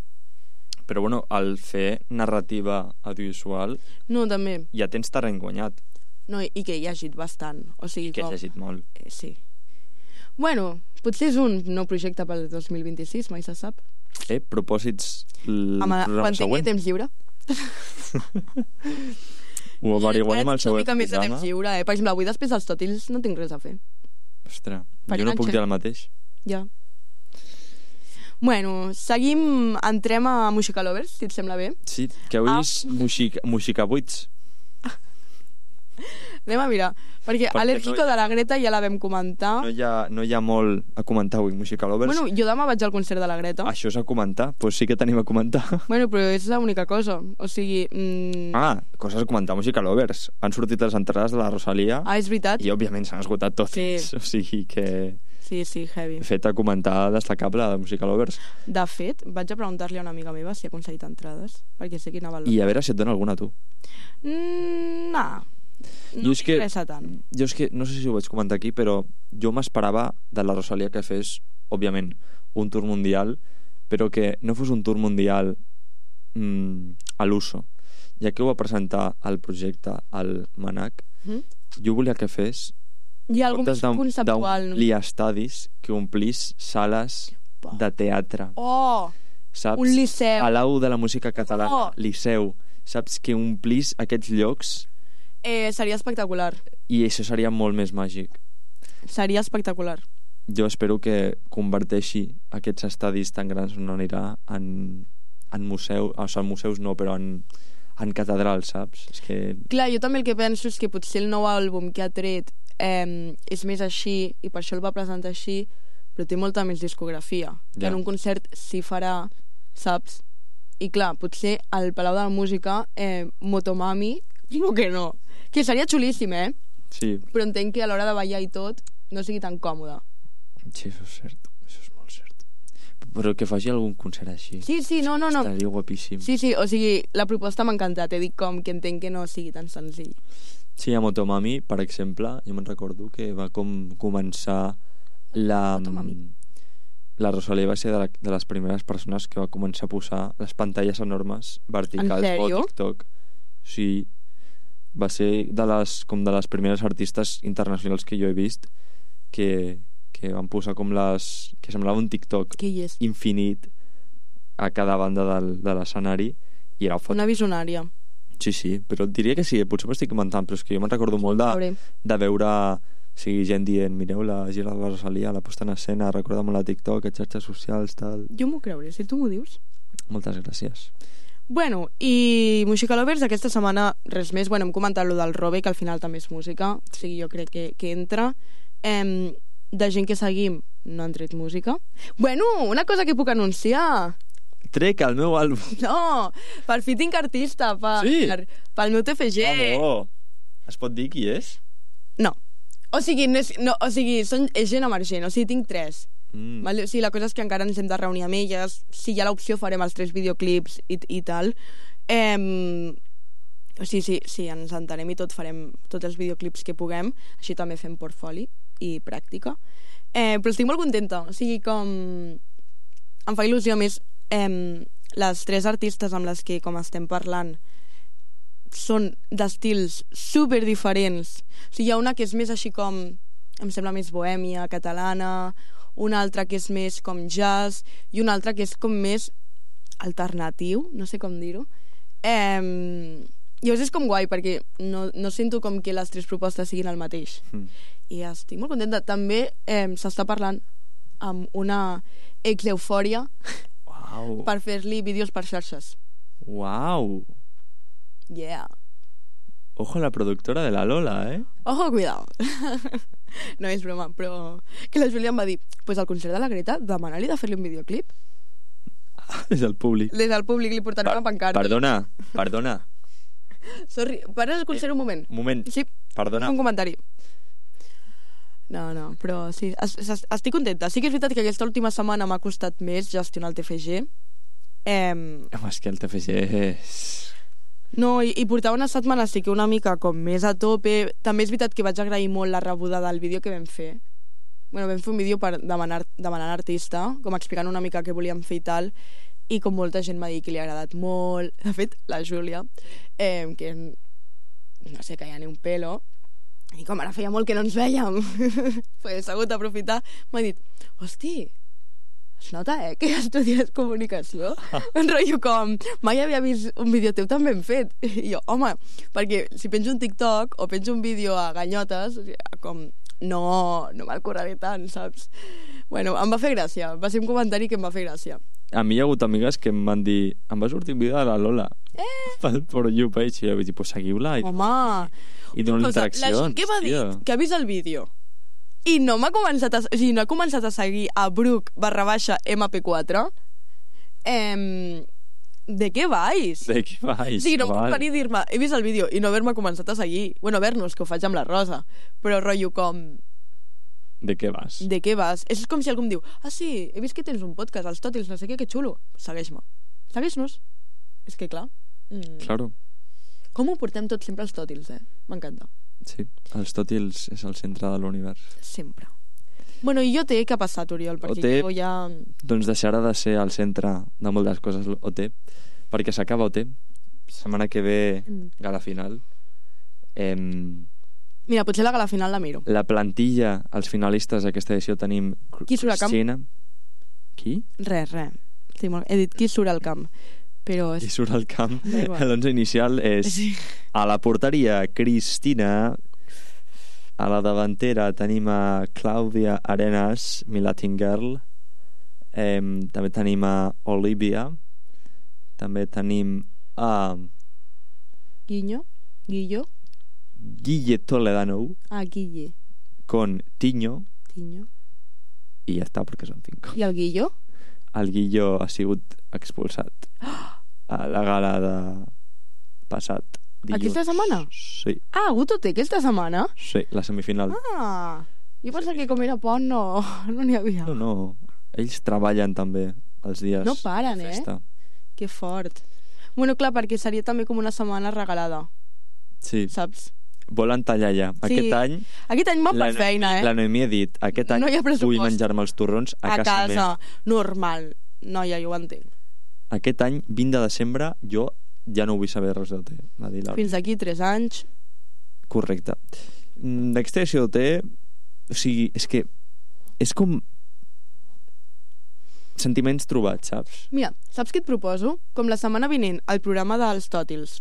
[SPEAKER 5] Però, bueno, al fer narrativa audiovisual
[SPEAKER 3] No, també.
[SPEAKER 5] ja tens terreny guanyat,
[SPEAKER 3] No, i, i que he llegit bastant. O sigui,
[SPEAKER 5] que
[SPEAKER 3] com...
[SPEAKER 5] has llegit molt.
[SPEAKER 3] Eh, sí. Bueno, potser és un nou projecte pel dos mil vint-i-sis, mai se sap.
[SPEAKER 5] Eh, propòsits l
[SPEAKER 3] Home,
[SPEAKER 5] programa
[SPEAKER 3] quan tingui
[SPEAKER 5] següent.
[SPEAKER 3] temps lliure.
[SPEAKER 5] Ho averiguarem al
[SPEAKER 3] Una
[SPEAKER 5] següent
[SPEAKER 3] mica més de
[SPEAKER 5] programa.
[SPEAKER 3] temps lliure, eh? Per exemple, avui després dels tòtils no tinc res a fer.
[SPEAKER 5] Ostres,
[SPEAKER 3] Per
[SPEAKER 5] jo no puc
[SPEAKER 3] enganxar.
[SPEAKER 5] dir el mateix.
[SPEAKER 3] Ja. Bueno, seguim, entrem a Música Lovers, si et sembla bé.
[SPEAKER 5] Sí, que avui
[SPEAKER 3] Ah.
[SPEAKER 5] és Muxica, Muxica vuits.
[SPEAKER 3] Anem a mirar, perquè,
[SPEAKER 5] Perquè
[SPEAKER 3] Alérgico
[SPEAKER 5] no hi-
[SPEAKER 3] de la Greta ja la vam comentar.
[SPEAKER 5] No hi ha, no hi ha molt a comentar avui, Muxica Lovers.
[SPEAKER 3] Bueno, jo demà vaig al concert de la Greta.
[SPEAKER 5] Això és a comentar, doncs sí que tenim a comentar.
[SPEAKER 3] Bueno, però és l'única cosa. O sigui... Mm...
[SPEAKER 5] Ah, coses a comentar, Música Lovers. Han sortit les entrades de la Rosalia
[SPEAKER 3] ah, és veritat?
[SPEAKER 5] i, òbviament, s'han esgotat totes.
[SPEAKER 3] Sí.
[SPEAKER 5] O sigui que...
[SPEAKER 3] Sí, sí, heavy.
[SPEAKER 5] Fet a comentar destacable de Música Lovers.
[SPEAKER 3] De fet, vaig a preguntar-li a una amiga meva si ha aconseguit entrades, perquè sé que anava al...
[SPEAKER 5] I a veure si et dona alguna, tu.
[SPEAKER 3] Mm, nah. No
[SPEAKER 5] Jo és que-
[SPEAKER 3] m'interessa tant.
[SPEAKER 5] Jo és que, no sé si ho vaig comentar aquí, però jo m'esperava de la Rosalia que fes, òbviament, un tour mundial, però que no fos un tour mundial mmm, a l'uso. Ja que ho va presentar el projecte al Manac,
[SPEAKER 3] Mm?
[SPEAKER 5] jo volia que fes
[SPEAKER 3] Hi ha algun
[SPEAKER 5] comptes d'om-
[SPEAKER 3] conceptual...
[SPEAKER 5] d'omplir estadis, que omplís sales de teatre,
[SPEAKER 3] Oh,
[SPEAKER 5] saps?
[SPEAKER 3] un liceu.
[SPEAKER 5] Palau de la Música Catalana,
[SPEAKER 3] Oh.
[SPEAKER 5] Liceu, saps? Que omplís aquests llocs
[SPEAKER 3] Eh, seria espectacular.
[SPEAKER 5] i això seria molt més màgic.
[SPEAKER 3] Seria espectacular.
[SPEAKER 5] Jo espero que converteixi aquests estadis tan grans on anirà en, en museu, o sigui, en museus no, però en, en catedrals, saps? És que...
[SPEAKER 3] Clar, jo també el que penso és que potser el nou àlbum que ha tret eh, és més així i per això el va presentar així, però té molta més discografia. Que
[SPEAKER 5] Ja.
[SPEAKER 3] en un concert s'hi farà, saps? I clar, potser al Palau de la Música eh, Motomami, digo que no. Que seria xulíssim, eh?
[SPEAKER 5] Sí,
[SPEAKER 3] Però entenc que a l'hora de ballar i tot no sigui tan còmode.
[SPEAKER 5] sí, això és cert. Això és molt cert. Però que faci algun concert així.
[SPEAKER 3] Sí, sí, no, no, no.
[SPEAKER 5] Estaria guapíssim.
[SPEAKER 3] Sí, sí, o sigui, la proposta m'ha encantat. He dit com que entenc que no sigui tan senzill.
[SPEAKER 5] Sí, a Motomami, per exemple, jo me'n recordo que va com començar la...
[SPEAKER 3] Motomami.
[SPEAKER 5] La Rosalia va ser de, la, de les primeres persones que va començar a posar les pantalles enormes verticals
[SPEAKER 3] En sèrio?
[SPEAKER 5] o TikTok. Sí, va ser de les, com de les primeres artistes internacionals que jo he vist que, que van posar com les... que semblava un TikTok
[SPEAKER 3] Què hi és?
[SPEAKER 5] infinit a cada banda del, de l'escenari i era fot.
[SPEAKER 3] Una visionària.
[SPEAKER 5] Sí, sí, però et diria que sí, potser m'estic inventant, però és que jo me'n recordo molt de,
[SPEAKER 3] Veurem.
[SPEAKER 5] de veure o sigui, gent dient, mireu la gira de la Rosalia, la posta en escena, recorda molt la TikTok, les xarxes socials, tal...
[SPEAKER 3] Jo m'ho creuré, si tu m'ho dius.
[SPEAKER 5] Moltes gràcies.
[SPEAKER 3] Bueno, i Música Lovers aquesta setmana res més. Bueno, hem comentat lo del Robe, que al final també és música, o sigui, jo crec que, que entra. Eh, de gent que seguim no han tret música. Bueno, una cosa que puc anunciar.
[SPEAKER 5] Trec el meu àlbum.
[SPEAKER 3] No, per fi tinc artista, per,
[SPEAKER 5] Sí?
[SPEAKER 3] per, pel meu T F G.
[SPEAKER 5] Vamos. Es pot dir qui és?
[SPEAKER 3] No. O sigui, no és, no, o sigui són, és gent emergent, o sigui, tinc tres.
[SPEAKER 5] Mm.
[SPEAKER 3] Vale? O sigui, la cosa és que encara ens hem de reunir amb elles. Si hi ha l'opció farem els tres videoclips i, i tal. Eh, o sigui, sí, sí, ens entenem i tot farem tots els videoclips que puguem. Així també fem portfoli i pràctica. Eh, però estic molt contenta. O sigui, com... Em fa il·lusió més... Eh, les tres artistes amb les que com estem parlant són d'estils super diferents. O sigui, hi ha una que és més així com... Em sembla més bohèmia, catalana, una altra que és més com jazz i una altra que és com més alternatiu, no sé com dir-ho. Eh, I llavors és com guai perquè no, no sento com que les tres propostes siguin el mateix. Mm. I estic molt contenta. També eh, s'està parlant amb una ex-eufòria
[SPEAKER 5] Wow.
[SPEAKER 3] per fer-li vídeos per xarxes.
[SPEAKER 5] Wow.
[SPEAKER 3] Yeah.
[SPEAKER 5] Ojo la productora de la Lola, eh?
[SPEAKER 3] Ojo, cuidado. No és broma, però que la Júlia em va dir pues al concert de la Greta demana-li de fer-li un videoclip.
[SPEAKER 5] Des del públic.
[SPEAKER 3] Des del públic li portaré una pancarta.
[SPEAKER 5] Perdona, perdona.
[SPEAKER 3] Sorry, para el concert un moment.
[SPEAKER 5] Un moment.
[SPEAKER 3] Sí,
[SPEAKER 5] Perdona.
[SPEAKER 3] un comentari. No, no, però sí, es, es, estic contenta. Sí que és veritat que aquesta última setmana m'ha costat més gestionar el T F G. Eh,
[SPEAKER 5] Home, és que el T F G és...
[SPEAKER 3] no, i, i portava una setmana sí que una mica com més a tope. També és veritat que vaig agrair molt la rebuda del vídeo que vam fer. Bueno, vam fer un vídeo per demanar, demanar artista, com explicant una mica què volíem fer i tal, i com molta gent m'ha dit que li ha agradat molt. De fet, la Júlia, eh, que no sé, que ja ni un pelo, i com ara feia molt que no ens vèiem, pues, he hagut d'aprofitar, m'ha dit, hosti, es nota, eh, que estudies comunicació? Un rotllo com, mai havia vist un vídeo teu tan ben fet. I jo, home, perquè si penjo un TikTok o penjo un vídeo a ganyotes, o sigui, com, no, no me'l curraré tant, saps? Bueno, em va fer gràcia, va ser un comentari que em va fer gràcia.
[SPEAKER 5] A mi hi ha hagut amigues que em van dir em va sortir un vídeo de la Lola eh? pel For You page, i jo vaig dir, pues seguiu-la i,
[SPEAKER 3] Home,
[SPEAKER 5] i dono
[SPEAKER 3] o sigui,
[SPEAKER 5] interaccions.
[SPEAKER 3] la gent que m'ha dit que ha vist el vídeo i no m'ha començat a, o sigui, no ha començat a seguir a Bruc barra baixa M P quatre, eh, de què vais?
[SPEAKER 5] De què vais?
[SPEAKER 3] O sigui, no em
[SPEAKER 5] Val.
[SPEAKER 3] puc venir a dir-me he vist el vídeo i no haver-me començat a seguir. Bueno, ver-nos, que ho faig amb la Rosa, però rotllo com...
[SPEAKER 5] De què vas?
[SPEAKER 3] De què vas? És com si algú em diu, ah sí, he vist que tens un podcast, els Tòtils, no sé què, que xulo. Segueix-me. Segueix-nos. És que clar. Mm.
[SPEAKER 5] Claro.
[SPEAKER 3] Com ho portem tot sempre als Tòtils, eh? M'encanta.
[SPEAKER 5] Sí, els Tòtils és el centre de l'univers.
[SPEAKER 3] Sempre. Bueno, i O T, què ha passat, Oriol? Perquè
[SPEAKER 5] O T,
[SPEAKER 3] jo ja...
[SPEAKER 5] doncs deixarà de ser el centre de moltes coses O T, perquè s'acaba O T. Setmana que ve, gala final. Eh,
[SPEAKER 3] Mira, potser la gala final la miro.
[SPEAKER 5] la plantilla, els finalistes d'aquesta edició tenim
[SPEAKER 3] Qui surt al camp?
[SPEAKER 5] Cristina. Qui?
[SPEAKER 3] Res, res. Sí, molt... He dit qui surt al camp. Però...
[SPEAKER 5] Qui surt al camp?
[SPEAKER 3] Da igual.
[SPEAKER 5] L'onze inicial és
[SPEAKER 3] Sí.
[SPEAKER 5] a la porteria Cristina, a la davantera tenim a Clàudia Arenas, mi Latin Girl, eh, també tenim a Olivia, també tenim a
[SPEAKER 3] Guinyo? Guillo?
[SPEAKER 5] Guille Toledano
[SPEAKER 3] Ah, Guille.
[SPEAKER 5] con Tiño,
[SPEAKER 3] Tiño.
[SPEAKER 5] i ja està, perquè són cinc.
[SPEAKER 3] I el Guillo?
[SPEAKER 5] El Guillo ha sigut expulsat a la gala de passat dilluns.
[SPEAKER 3] Aquesta setmana?
[SPEAKER 5] Sí,
[SPEAKER 3] Ah, ha hagut O T aquesta setmana?
[SPEAKER 5] sí, la semifinal.
[SPEAKER 3] Ah, jo pensava que com era pont no no n'hi havia.
[SPEAKER 5] No, no, ells treballen també els dies
[SPEAKER 3] No paren,
[SPEAKER 5] de
[SPEAKER 3] eh?
[SPEAKER 5] festa.
[SPEAKER 3] Que fort. Bueno, clar, perquè seria també com una setmana regalada,
[SPEAKER 5] Sí,
[SPEAKER 3] saps?
[SPEAKER 5] volen tallar ja.
[SPEAKER 3] Sí.
[SPEAKER 5] Aquest any
[SPEAKER 3] Aquest any me'n
[SPEAKER 5] la,
[SPEAKER 3] per feina, eh?
[SPEAKER 5] la Noemí ha dit, aquest any
[SPEAKER 3] No hi ha pressupost.
[SPEAKER 5] vull menjar-me els torrons a,
[SPEAKER 3] A
[SPEAKER 5] casa,
[SPEAKER 3] casa,
[SPEAKER 5] meva.
[SPEAKER 3] normal. Noia, jo ho entenc.
[SPEAKER 5] Aquest any, vint de desembre, jo ja no vull saber res d'O T. Va dir l'Auri.
[SPEAKER 3] Fins d'aquí tres anys.
[SPEAKER 5] Correcte. Mm, D'aquesta edició d'O T, o sigui, és que és com sentiments trobats, saps?
[SPEAKER 3] Mira, saps què et proposo? Com la setmana vinent, el programa dels Tòtils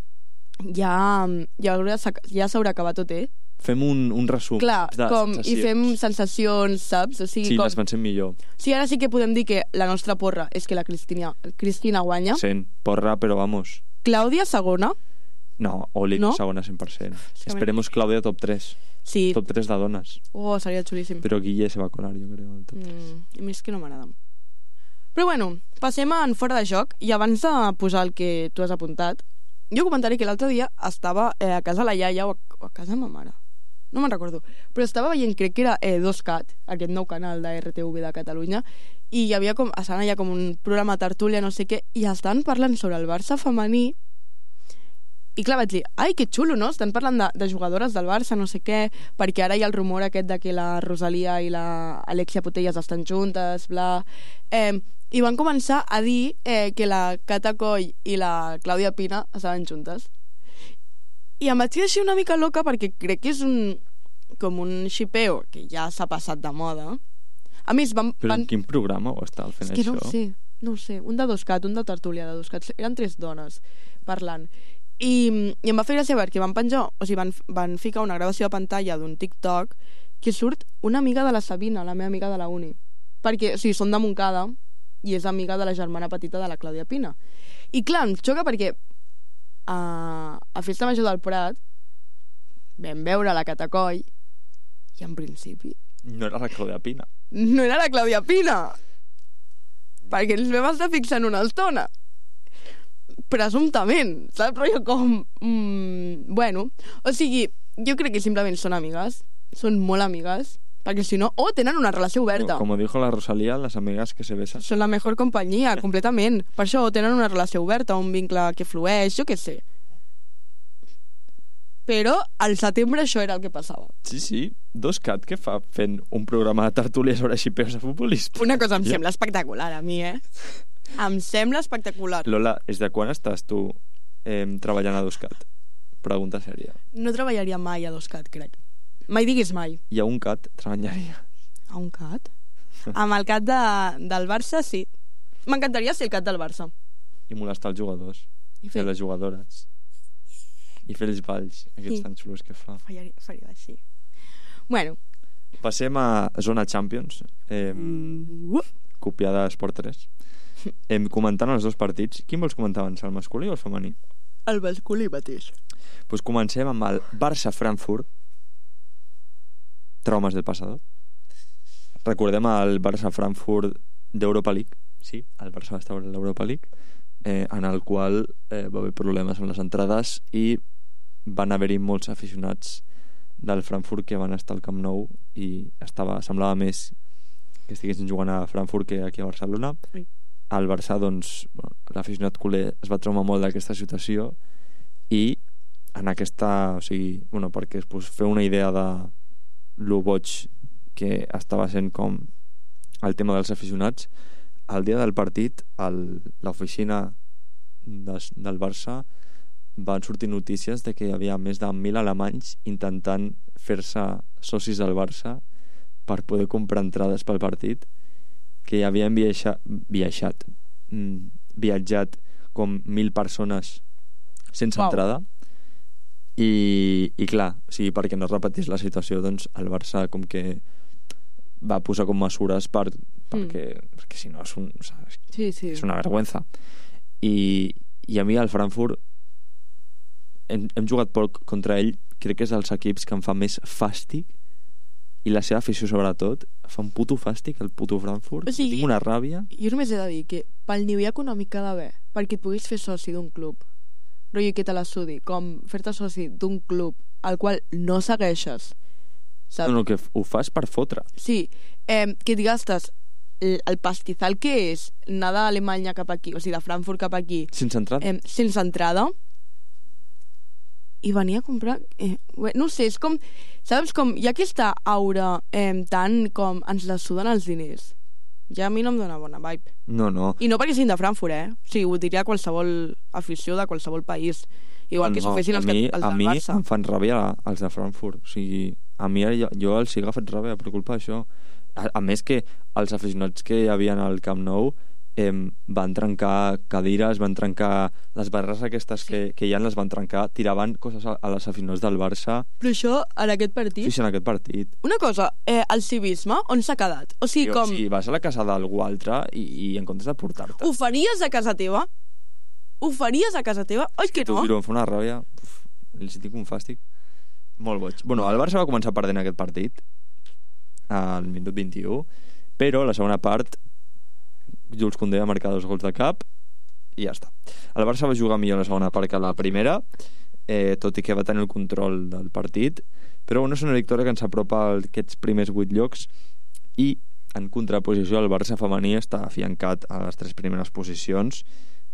[SPEAKER 3] ja, ja, haurà sac- ja s'haurà acabat O T.
[SPEAKER 5] Fem un, un resum
[SPEAKER 3] Clar,
[SPEAKER 5] de
[SPEAKER 3] com, i
[SPEAKER 5] sensacions.
[SPEAKER 3] fem sensacions, saps? O sigui,
[SPEAKER 5] Sí,
[SPEAKER 3] com...
[SPEAKER 5] les pensem millor.
[SPEAKER 3] Sí, ara sí que podem dir que la nostra porra és que la Cristina, Cristina guanya.
[SPEAKER 5] Sent, porra, però vamos.
[SPEAKER 3] Clàudia segona.
[SPEAKER 5] No, Oli,
[SPEAKER 3] No?
[SPEAKER 5] segona cent per cent.
[SPEAKER 3] que
[SPEAKER 5] Esperemos Claudia top tres.
[SPEAKER 3] Sí.
[SPEAKER 5] Top tres de dones.
[SPEAKER 3] Oh, seria xulíssim.
[SPEAKER 5] Però Guille se va colar, jo crec, al top tres.
[SPEAKER 3] Mm, a mi és que no m'agrada. Però bueno, passem en fora de joc i abans de posar el que tu has apuntat, jo comentaré que l'altre dia estava eh, a casa la iaia o a, o a casa de ma mare. No me'n recordo. Però estava veient, crec que era eh, dos cat, aquest nou canal de R T V de Catalunya, i hi havia com, estaven allà com un programa tertúlia, no sé què, i estan parlant sobre el Barça femení. I clar, vaig dir, ai, que xulo, no? Estan parlant de, de jugadores del Barça, no sé què, perquè ara hi ha el rumor aquest de que la Rosalia i la Alexia Putellas estan juntes, bla... Eh, I van començar a dir eh, que la Cata Coll i la Clàudia Pina estaven juntes. I em vaig deixar una mica loca perquè crec que és un... com un xipeo que ja s'ha passat de moda. A més, van...
[SPEAKER 5] Però
[SPEAKER 3] van...
[SPEAKER 5] en quin programa ho estava fent
[SPEAKER 3] És que
[SPEAKER 5] això?
[SPEAKER 3] no ho sé, no ho sé. Un de dos cat, un de tertúlia de dos cats. Eren tres dones parlant. I, i em va fer gràcia perquè van penjar, o sigui, van, van ficar una gravació a pantalla d'un TikTok que surt una amiga de la Sabina, la meva amiga de la uni. Perquè, o sigui, són de Montcada i és amiga de la germana petita de la Clàudia Pina. I clar, em xoca perquè a, a Festa Major del Prat vam veure la Cata Coll i en principi
[SPEAKER 5] No era la Clàudia Pina.
[SPEAKER 3] no era la Clàudia Pina, perquè ens vam estar fixant una estona presumptament, saps? Però com mm, bueno, o sigui, jo crec que simplement són amigues, són molt amigues, perquè si no, o tenen una relació oberta.
[SPEAKER 5] Como dijo la Rosalía, las amigas que se besan.
[SPEAKER 3] Són la millor companyia, completament. Per això o tenen una relació oberta, un vincle que flueix, jo què sé. Però al setembre això era el que passava.
[SPEAKER 5] Sí, sí. Dos cat que fa fent un programa de tertúlia sobre xipeos de futbolistes.
[SPEAKER 3] Una cosa em
[SPEAKER 5] Ja.
[SPEAKER 3] sembla espectacular a mi, eh? Em sembla espectacular.
[SPEAKER 5] Lola, des de quan estàs tu eh, treballant a dos cat? Pregunta sèria.
[SPEAKER 3] No treballaria mai a dos cat, crec. Mai diguis mai.
[SPEAKER 5] I a un cat treballaria.
[SPEAKER 3] A un cat? Amb el cat de, del Barça, sí. M'encantaria ser el cat del Barça.
[SPEAKER 5] I molestar els jugadors.
[SPEAKER 3] I
[SPEAKER 5] I
[SPEAKER 3] fer...
[SPEAKER 5] les jugadores. I fer els balls, aquests
[SPEAKER 3] Sí.
[SPEAKER 5] tan xulos que fa.
[SPEAKER 3] Faria, faria així. Bueno.
[SPEAKER 5] Passem a Zona Champions, eh,
[SPEAKER 3] Uh,
[SPEAKER 5] copiada d'Esport tres. Em comentant els dos partits. Quin vols comentar abans, el masculí o el femení?
[SPEAKER 3] el masculí mateix.
[SPEAKER 5] Pues comencem amb el Barça-Frankfurt. Traumes del passado. Recordem el Barça-Frankfurt d'Europa League. Sí, el Barça va estar a l'Europa League, eh, en el qual eh, va haver problemes amb les entrades i van haver-hi molts aficionats del Frankfurt que van estar al Camp Nou i estava, semblava més que estiguessin jugant a Frankfurt que aquí a Barcelona.
[SPEAKER 3] Sí.
[SPEAKER 5] Al Barça, doncs, bueno, l'aficionat culer es va traumar molt d'aquesta situació i en aquesta, o sigui, bueno, perquè es pues, fer una idea de lo boig que estava sent com el tema dels aficionats, el dia del partit el, l'oficina des, del Barça van sortir notícies de que hi havia més de mil alemanys intentant fer-se socis del Barça per poder comprar entrades pel partit, que havien viatjat, viatjat, mm, viatjat com mil persones sense
[SPEAKER 3] Uau.
[SPEAKER 5] entrada i, i clar, o sigui, perquè no es repetís la situació, doncs el Barça com que va posar com mesures per, perquè, mm. perquè si no és, un, saps,
[SPEAKER 3] Sí, sí.
[SPEAKER 5] és una vergüenza. I, i a mi al Frankfurt hem, hem jugat poc contra ell, crec que és dels equips que em fa més fàstic i la seva afició sobretot fa un puto fàstic el puto Frankfurt,
[SPEAKER 3] O sigui,
[SPEAKER 5] tinc una ràbia.
[SPEAKER 3] Jo només he de dir que pel nivell econòmic que ha d'haver perquè et puguis fer soci d'un club, rotllo que te la sudi, com fer-te soci d'un club al qual no segueixes, saps?
[SPEAKER 5] No, no, que ho fas per fotre.
[SPEAKER 3] Sí, eh, que et gastes el, el pastizal que és anar d'Alemanya cap aquí, o sigui, de Frankfurt cap aquí,
[SPEAKER 5] Sense entrada.
[SPEAKER 3] eh, sense entrada, i venir a comprar... Eh, no sé, és com... Saps com... Hi ha aquesta aura eh, tant com ens la suden els diners. Ja a mi no em dóna bona vibe.
[SPEAKER 5] No, no.
[SPEAKER 3] I no perquè siguin de Frankfurt, eh? O sigui, ho diria qualsevol afició de qualsevol país. Igual que
[SPEAKER 5] no,
[SPEAKER 3] s'ho fessin els,
[SPEAKER 5] a mi,
[SPEAKER 3] els
[SPEAKER 5] a
[SPEAKER 3] del
[SPEAKER 5] mi
[SPEAKER 3] Barça.
[SPEAKER 5] em fan ràbia els de Frankfurt. O sigui, a mi jo, jo els he agafat ràbia per culpa d'això. A, a més que els aficionats que hi havia al Camp Nou eh, van trencar cadires, van trencar les barres aquestes
[SPEAKER 3] Sí.
[SPEAKER 5] que, que ja les van trencar, tiraven coses a, a les aficionats del Barça.
[SPEAKER 3] Però això, en aquest partit...
[SPEAKER 5] Sí, sí, en aquest partit.
[SPEAKER 3] Una cosa, eh, el civisme, on s'ha quedat? O sigui,
[SPEAKER 5] Jo,
[SPEAKER 3] com...
[SPEAKER 5] si vas a la casa d'algú altre i, i en comptes de portar-te...
[SPEAKER 3] Ho faries a casa teva? Ho faries a casa teva? Oi que
[SPEAKER 5] Tu,
[SPEAKER 3] no?
[SPEAKER 5] em fa una ràbia. Uf, li tinc un fàstic. Molt boig. Bueno, el Barça va començar perdent aquest partit al minut vint-i-u, però la segona part Jules Koundé va marcar dos gols de cap i ja està. El Barça va jugar millor la segona part que la primera, eh, tot i que va tenir el control del partit, però bueno, és una victòria que ens apropa a aquests primers vuit llocs i en contraposició el Barça femení està afiancat a les tres primeres posicions.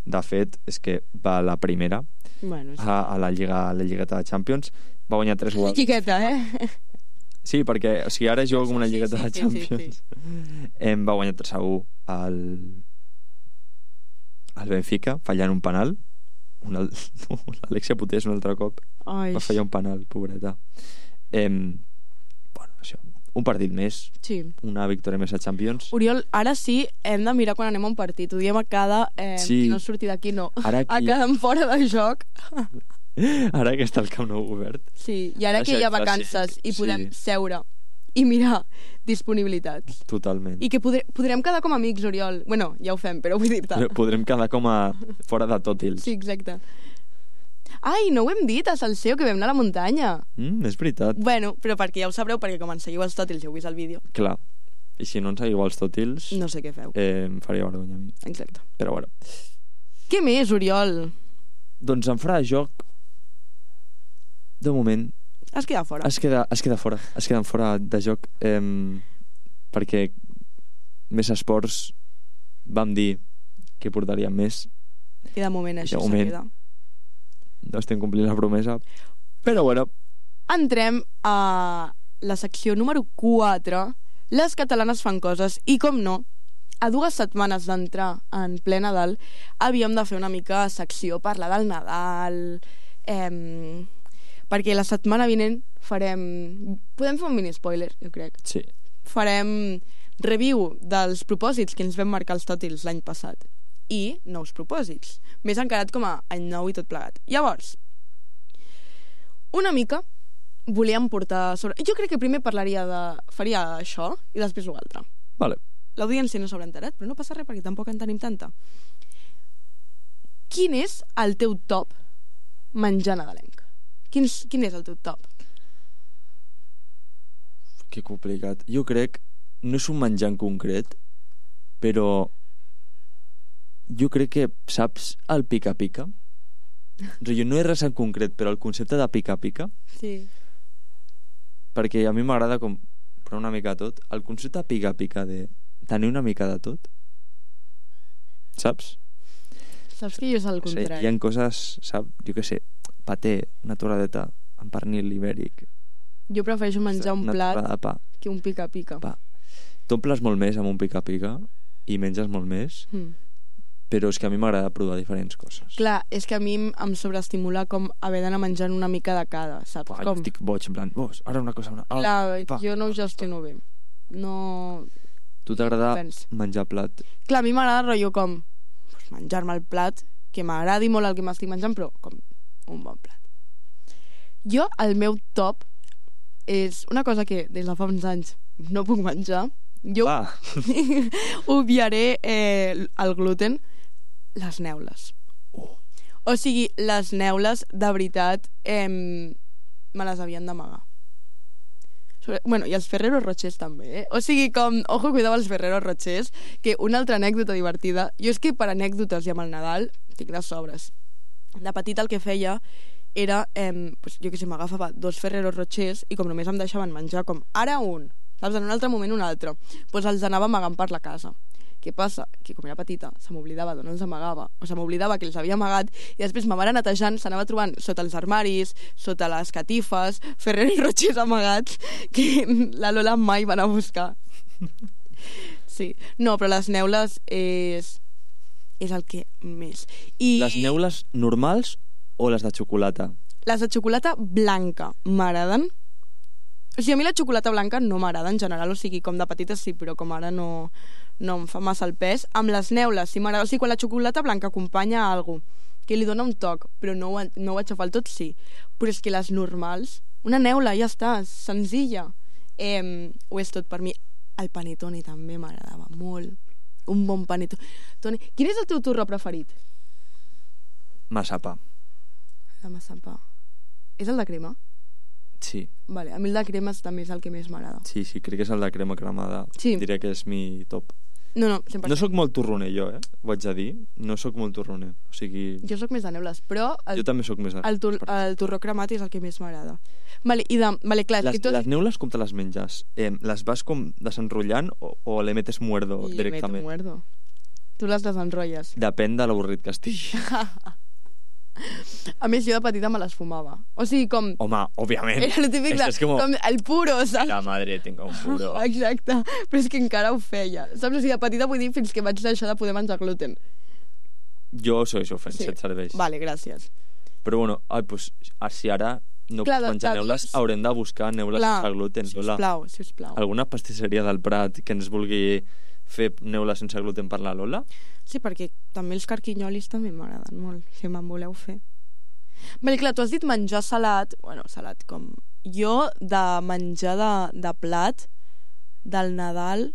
[SPEAKER 5] De fet, és que va a la primera
[SPEAKER 3] Bueno, sí.
[SPEAKER 5] a, a la Lliga a la Lligueta de Champions, va guanyar tres gols.
[SPEAKER 3] Xiqueta, eh?
[SPEAKER 5] Sí, perquè o sigui, ara jugo com una
[SPEAKER 3] Sí,
[SPEAKER 5] Lligueta
[SPEAKER 3] sí,
[SPEAKER 5] de
[SPEAKER 3] sí,
[SPEAKER 5] Champions.
[SPEAKER 3] sí,
[SPEAKER 5] Em va guanyar tres a u al al Benfica, fallant un penal. Una... L'Alexia Putés un altre cop
[SPEAKER 3] Ai,
[SPEAKER 5] va fallar un penal, pobreta. Em... Bueno, això. Un partit més,
[SPEAKER 3] sí.
[SPEAKER 5] una victòria més a Champions.
[SPEAKER 3] Oriol, ara sí hem de mirar quan anem a un partit. Ho diem a cada... Eh,
[SPEAKER 5] Sí.
[SPEAKER 3] No sortir d'aquí, no.
[SPEAKER 5] Ara
[SPEAKER 3] A
[SPEAKER 5] aquí-
[SPEAKER 3] cada fora de joc.
[SPEAKER 5] Ara que està el Camp Nou obert.
[SPEAKER 3] Sí, i ara
[SPEAKER 5] Això
[SPEAKER 3] que hi ha
[SPEAKER 5] és fàcil.
[SPEAKER 3] vacances i podem
[SPEAKER 5] Sí.
[SPEAKER 3] seure i mirar disponibilitats.
[SPEAKER 5] Totalment.
[SPEAKER 3] I que podre, podrem quedar com amics, Oriol. Bueno, ja ho fem, però vull dir-te.
[SPEAKER 5] Però podrem quedar com a fora de tòtils.
[SPEAKER 3] Sí, exacte. Ai, no ho hem dit a Salseo, que vam anar a la muntanya.
[SPEAKER 5] Mm, és veritat.
[SPEAKER 3] Bueno, però perquè ja ho sabreu, perquè com ens seguiu els tòtils i heu vist el vídeo,
[SPEAKER 5] Clar. I si no ens seguiu als tòtils,
[SPEAKER 3] no sé què feu.
[SPEAKER 5] eh, em faria vergonya a mi.
[SPEAKER 3] Exacte.
[SPEAKER 5] Però bueno.
[SPEAKER 3] Què més, Oriol?
[SPEAKER 5] Doncs en fora de joc, de moment,
[SPEAKER 3] Has quedat fora.
[SPEAKER 5] es queda, es queda fora. Es queden fora de joc. Eh, perquè Més Esports vam dir que portaríem més.
[SPEAKER 3] I de moment
[SPEAKER 5] de
[SPEAKER 3] això se
[SPEAKER 5] moment.
[SPEAKER 3] queda.
[SPEAKER 5] No estem complint la promesa. Però bueno,
[SPEAKER 3] Entrem a la secció número quatre. Les catalanes fan coses. I com no, a dues setmanes d'entrar en ple Nadal havíem de fer una mica secció, parlar del Nadal, eh, perquè la setmana vinent farem... Podem fer un mini spoiler, jo crec.
[SPEAKER 5] sí.
[SPEAKER 3] Farem review dels propòsits que ens vam marcar els tòtils l'any passat i nous propòsits, més encarat com a any nou i tot plegat. Llavors, una mica volíem portar sobre... Jo crec que primer parlaria de... faria això i després l'altre.
[SPEAKER 5] Vale.
[SPEAKER 3] L'audiència no s'haurà enterat, però no passa res perquè tampoc en tenim tanta. Quin és el teu top menjar nadalenc? Quin, quin és el teu top?
[SPEAKER 5] Que complicat. Jo crec, no és un menjar en concret, però jo crec que saps el pica-pica? O sigui, no és res en concret, però el concepte de pica-pica,
[SPEAKER 3] Sí.
[SPEAKER 5] perquè a mi m'agrada com però una mica tot, el concepte de pica-pica de tenir una mica de tot, saps?
[SPEAKER 3] Saps que jo és el
[SPEAKER 5] O sigui,
[SPEAKER 3] contrari.
[SPEAKER 5] hi ha coses, saps? Jo què sé, paté, una torradeta amb pernil ibèric,
[SPEAKER 3] Jo prefereixo menjar un
[SPEAKER 5] una
[SPEAKER 3] plat
[SPEAKER 5] torrada de pa.
[SPEAKER 3] que un pica-pica.
[SPEAKER 5] Pa. T'omples molt més amb un pica-pica i menges molt més,
[SPEAKER 3] Mm.
[SPEAKER 5] però és que a mi m'agrada provar diferents coses.
[SPEAKER 3] Clar, és que a mi em- em sobreestimula com haver d'anar menjant una mica de cada, saps?
[SPEAKER 5] Pa,
[SPEAKER 3] com...
[SPEAKER 5] estic boig, en plan, vos, ara una cosa... Una... Ah,
[SPEAKER 3] Clar,
[SPEAKER 5] pa.
[SPEAKER 3] jo no ho gestiono bé. No...
[SPEAKER 5] Tu t'agrada
[SPEAKER 3] Pens.
[SPEAKER 5] menjar plat?
[SPEAKER 3] Clar, a mi m'agrada rotllo com pues, menjar-me el plat, que m'agradi molt el que m'estic menjant, però com un bon plat. Jo, el meu top és una cosa que des de fa uns anys no puc menjar. Jo
[SPEAKER 5] Ah,
[SPEAKER 3] obviaré eh, el gluten, les neules.
[SPEAKER 5] Oh.
[SPEAKER 3] O sigui, les neules, de veritat, eh, me les havien d'amagar. Sobre- Bueno, i els Ferrero Rochers també, eh? O sigui, com, ojo, cuidado els Ferrero Rochers, que una altra anècdota divertida, jo és que per anècdotes i amb el Nadal tinc de sobres. De petita el que feia era, eh, pues, jo que sé, m'agafava dos Ferrero Rochers i com només em deixaven menjar com ara un, saps, en un altre moment un altre, doncs els anava amagant per la casa. Què passa? Que com era petita se m'oblidava d'on els amagava, o se m'oblidava que els havia amagat i després ma mare netejant s'anava trobant sota els armaris, sota les catifes, Ferrero i Rochers amagats que la Lola mai va anar a buscar. Sí. No, però les neules és, és el que més. I
[SPEAKER 5] les neules normals o les de xocolata?
[SPEAKER 3] les de xocolata blanca m'agraden. O sigui, a mi la xocolata blanca no m'agrada en general, o sigui, com de petita sí, però com ara no, no em fa massa el pes. Amb les neules sí m'agrada, o sigui, quan la xocolata blanca acompanya a algú que li dona un toc, però no ho, no ho aixafar el tot, sí. Però és que les normals, una neula, ja està, senzilla. Eh, ho és tot per mi. El panetone també m'agradava molt. Un bon panetone. Quin és el teu torró preferit?
[SPEAKER 5] Massapà.
[SPEAKER 3] De massapà. És el de crema?
[SPEAKER 5] Sí.
[SPEAKER 3] Vale, a mi el de crema també és el que més m'agrada.
[SPEAKER 5] Sí, sí, crec que és el de crema cremada.
[SPEAKER 3] Sí.
[SPEAKER 5] Diria que és mi top.
[SPEAKER 3] No, no, cent per cent.
[SPEAKER 5] No sóc molt torroner, jo, eh? Ho haig de dir. No sóc molt torroner. O sigui...
[SPEAKER 3] Jo sóc més de neules, però el,
[SPEAKER 5] Jo també sóc més de...
[SPEAKER 3] el, tur, el torró cremat és el que més m'agrada. Vale, i de... Vale, clar,
[SPEAKER 5] Les,
[SPEAKER 3] si tu...
[SPEAKER 5] les neules com te les menges? Eh, les vas com desenrotllant o, o le metes muerdo
[SPEAKER 3] I
[SPEAKER 5] directament?
[SPEAKER 3] meto muerdo. Tu les desenrotlles.
[SPEAKER 5] Depèn de l'avorrit que estigui.
[SPEAKER 3] A més, jo de petita me les fumava. O sigui, com...
[SPEAKER 5] Home, òbviament.
[SPEAKER 3] Era el típic de...
[SPEAKER 5] És que és com...
[SPEAKER 3] com el puro, saps?
[SPEAKER 5] La madre tenga un puro.
[SPEAKER 3] Exacte. Però és que encara ho feia. Saps? O sigui, de petita vull dir fins que vaig deixar de poder menjar gluten.
[SPEAKER 5] Jo soy ofens,
[SPEAKER 3] Sí.
[SPEAKER 5] si et serveix.
[SPEAKER 3] Vale, gràcies.
[SPEAKER 5] Però bueno, ai, pues, si ara no
[SPEAKER 3] Clar,
[SPEAKER 5] pots
[SPEAKER 3] de-
[SPEAKER 5] menjar
[SPEAKER 3] de-
[SPEAKER 5] neules, haurem de buscar neules
[SPEAKER 3] Clar,
[SPEAKER 5] sense gluten. Lola.
[SPEAKER 3] sisplau, sisplau.
[SPEAKER 5] Alguna pastisseria del Prat que ens vulgui fer neules sense gluten per la Lola?
[SPEAKER 3] Sí, perquè també els carquinyolis també m'agraden molt, si me'n voleu fer. Vale, clar, tu has dit menjar salat, bueno, salat com... Jo, de menjar de, de plat, del Nadal,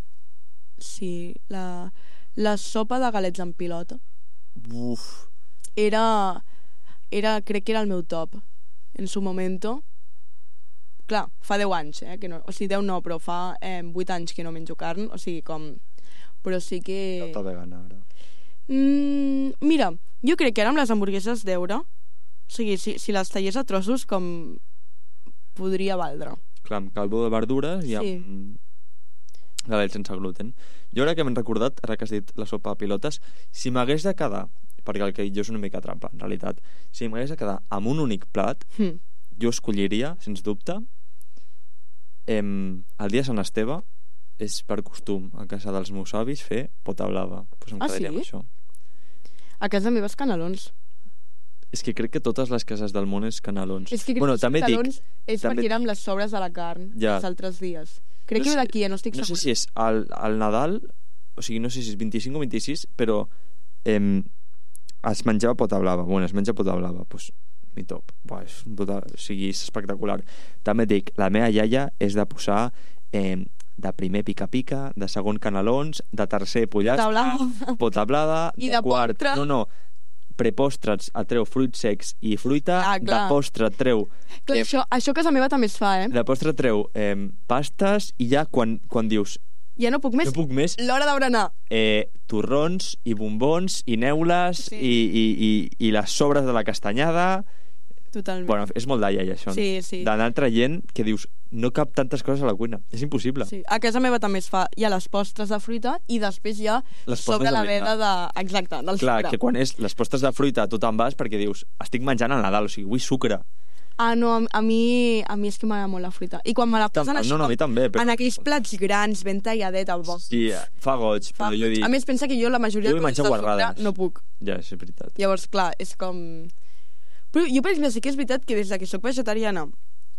[SPEAKER 3] sí, la, la sopa de galets en pilota.
[SPEAKER 5] Uf,
[SPEAKER 3] Era, era, crec que era el meu top, en su momento. Clar, fa deu anys, eh? Que no, o sigui, deu no, però fa eh, vuit anys que no menjo carn, o sigui, com... Però sí que...
[SPEAKER 5] tota vegana ara.
[SPEAKER 3] Mm, mira, jo crec que ara amb les hamburgueses d'euro, o sigui, si, si les tallés a trossos, com podria valdre.
[SPEAKER 5] Clar, amb caldo de verdures i amb
[SPEAKER 3] Sí.
[SPEAKER 5] galets sense gluten. Jo ara que m'he recordat, ara que has dit la sopa de pilotes, si m'hagués de quedar, perquè el que jo és una mica trampa, en realitat, si m'hagués de quedar amb un únic plat,
[SPEAKER 3] Hm.
[SPEAKER 5] jo escolliria, sens dubte, em, el dia de Sant Esteve és per costum a casa dels meus avis fer pota blava. Pues em
[SPEAKER 3] Ah,
[SPEAKER 5] quedaria amb
[SPEAKER 3] sí?
[SPEAKER 5] això.
[SPEAKER 3] A casa meves canelons.
[SPEAKER 5] És que crec que totes les cases del món és canelons.
[SPEAKER 3] És que crec
[SPEAKER 5] bueno,
[SPEAKER 3] que
[SPEAKER 5] també
[SPEAKER 3] els
[SPEAKER 5] dic,
[SPEAKER 3] canelons és
[SPEAKER 5] també-
[SPEAKER 3] perquè era amb les sobres de la carn
[SPEAKER 5] Ja.
[SPEAKER 3] els altres dies. Crec
[SPEAKER 5] No
[SPEAKER 3] que
[SPEAKER 5] sé-
[SPEAKER 3] ve d'aquí, eh? No estic
[SPEAKER 5] no sé
[SPEAKER 3] segura.
[SPEAKER 5] si és al, al Nadal, o sigui, no sé si és vint-i-cinc o vint-i-sis, però em, es menjava pota blava. Bueno, es menja pota blava, doncs mi top. Buah, és un pota... O sigui, és espectacular. També et dic, la meva iaia és de posar eh, de primer pica-pica, de segon canelons, de tercer pollastre,
[SPEAKER 3] Taula.
[SPEAKER 5] pota blava,
[SPEAKER 3] I de
[SPEAKER 5] quart...
[SPEAKER 3] postre.
[SPEAKER 5] No, no, prepostres et treu fruits secs i fruita,
[SPEAKER 3] Ah,
[SPEAKER 5] de
[SPEAKER 3] clar.
[SPEAKER 5] postre et treu
[SPEAKER 3] Clar,
[SPEAKER 5] eh,
[SPEAKER 3] això, això a casa meva també es fa, eh?
[SPEAKER 5] de postre et treu eh, pastes i ja quan, quan dius
[SPEAKER 3] Ja no puc més.
[SPEAKER 5] no puc més,
[SPEAKER 3] L'hora de berenar.
[SPEAKER 5] eh, torrons i bombons i neules
[SPEAKER 3] Sí.
[SPEAKER 5] i, i, i, i les sobres de la castanyada.
[SPEAKER 3] Totalment.
[SPEAKER 5] Bueno, és molt d'alla, això.
[SPEAKER 3] Sí, sí.
[SPEAKER 5] D'anar traient que dius, no cap tantes coses a la cuina. És impossible.
[SPEAKER 3] Sí. A casa meva també es fa hi ha les postres de fruita i després hi ha
[SPEAKER 5] Les
[SPEAKER 3] sobre
[SPEAKER 5] postres
[SPEAKER 3] la
[SPEAKER 5] de
[SPEAKER 3] veda de... Exacte, del
[SPEAKER 5] Clar,
[SPEAKER 3] sucre.
[SPEAKER 5] que quan és les postres de fruita tu te'n vas perquè dius, estic menjant al Nadal, o sigui, vull sucre.
[SPEAKER 3] Ah, no, a, a mi a mi és que m'agrada molt la fruita. I quan me la
[SPEAKER 5] Tam-
[SPEAKER 3] posen així
[SPEAKER 5] no, no, a mi
[SPEAKER 3] com
[SPEAKER 5] també, però...
[SPEAKER 3] en aquells plats grans, ben talladeta, bo.
[SPEAKER 5] Sí, fa goig,
[SPEAKER 3] Fa...
[SPEAKER 5] però jo dic...
[SPEAKER 3] A més, pensa que jo la majoria
[SPEAKER 5] Jo
[SPEAKER 3] de
[SPEAKER 5] vull
[SPEAKER 3] coses
[SPEAKER 5] menjar
[SPEAKER 3] de sucre
[SPEAKER 5] guarrades.
[SPEAKER 3] no puc.
[SPEAKER 5] Ja, és veritat.
[SPEAKER 3] Llavors, clar, és com... Però jo, per exemple, sí que és veritat que des de que sóc vegetariana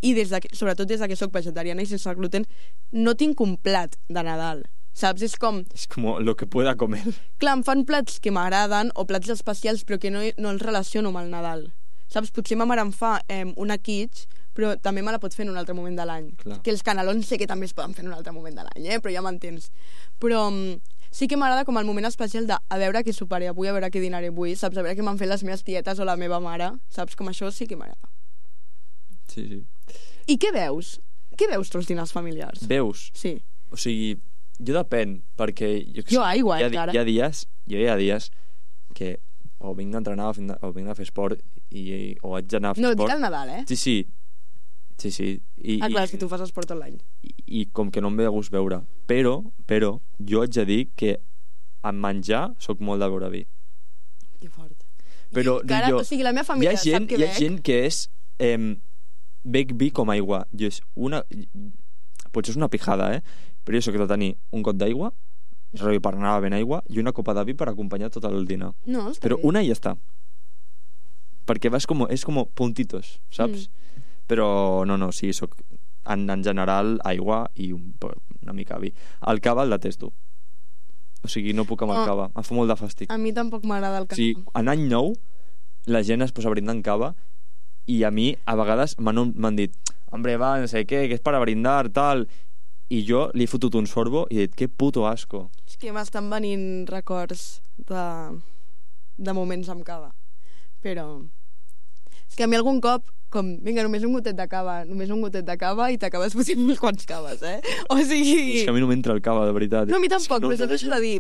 [SPEAKER 3] i des de que, sobretot des de que sóc vegetariana i sense gluten, no tinc un plat de Nadal. Saps? És com...
[SPEAKER 5] És com lo que pueda comer.
[SPEAKER 3] Clar, em fan plats que m'agraden o plats especials però que no, no els relaciono amb el Nadal. Saps? Potser ma mare em fa eh, una quiche, però també me la pot fer en un altre moment de l'any.
[SPEAKER 5] Clar.
[SPEAKER 3] Que els canelons sé que també es poden fer en un altre moment de l'any, eh? Però ja m'entens. Però mm, sí que m'agrada com el moment especial de a veure què soparé avui, a veure què dinaré avui, saps? A veure què m'han fet les meves tietes o la meva mare, saps? Com això sí que m'agrada.
[SPEAKER 5] Sí, sí.
[SPEAKER 3] I què veus? Què veus tu als dinars familiars?
[SPEAKER 5] Veus?
[SPEAKER 3] Sí.
[SPEAKER 5] O sigui, jo depèn, perquè... Jo,
[SPEAKER 3] Jo aigua,
[SPEAKER 5] hi ha,
[SPEAKER 3] eh, encara.
[SPEAKER 5] hi ha dies, jo hi ha dies que o vinc d'entrenar o, vinc de- o vinc de fer esport i, o haig d'anar a fer
[SPEAKER 3] No, dic
[SPEAKER 5] esport.
[SPEAKER 3] al Nadal, eh?
[SPEAKER 5] Sí, sí. Sí, sí. I,
[SPEAKER 3] Ah, clar, és
[SPEAKER 5] i,
[SPEAKER 3] que tu fas esport tot l'any.
[SPEAKER 5] i, i com que no em ve de gust veure. Però, però, jo haig de dir que en menjar sóc molt de beure vi.
[SPEAKER 3] Que fort.
[SPEAKER 5] Però
[SPEAKER 3] I
[SPEAKER 5] dic
[SPEAKER 3] encara,
[SPEAKER 5] jo,
[SPEAKER 3] o sigui, la meva
[SPEAKER 5] Hi
[SPEAKER 3] família
[SPEAKER 5] ha gent,
[SPEAKER 3] sap que
[SPEAKER 5] hi ha
[SPEAKER 3] bec.
[SPEAKER 5] gent que és... Eh, bec vi com aigua. Jo és una... Potser és una pijada, eh? Però jo sóc de tenir un got d'aigua, rotllo per anar ben aigua, i una copa de vi per acompanyar tot el dinar.
[SPEAKER 3] No, està
[SPEAKER 5] Però
[SPEAKER 3] bé.
[SPEAKER 5] una i ja està. Perquè vas com, és com puntitos, saps? Mm. Però no, no, sí, soc en, en general aigua i un, una mica vi. El cava el detesto. O sigui, no puc amb el
[SPEAKER 3] Oh.
[SPEAKER 5] cava. Em fa molt de fàstic.
[SPEAKER 3] A mi tampoc m'agrada el
[SPEAKER 5] O
[SPEAKER 3] cava.
[SPEAKER 5] sigui, en any nou la gent es posa brindant cava i a mi a vegades m'han m'han dit hombre, va, no sé què, que és per a brindar, tal, i jo li he fotut un sorbo i he dit, que puto asco.
[SPEAKER 3] És que m'estan venint records de, de moments amb cava. Però... És que a mi algun cop, com, vinga, només un gotet de cava, només un gotet de cava i t'acabes posant mil quants caves, eh? O sigui...
[SPEAKER 5] És que a mi no m'entra el cava, de veritat.
[SPEAKER 3] No, a mi tampoc,
[SPEAKER 5] no,
[SPEAKER 3] però s'ha deixat de dir...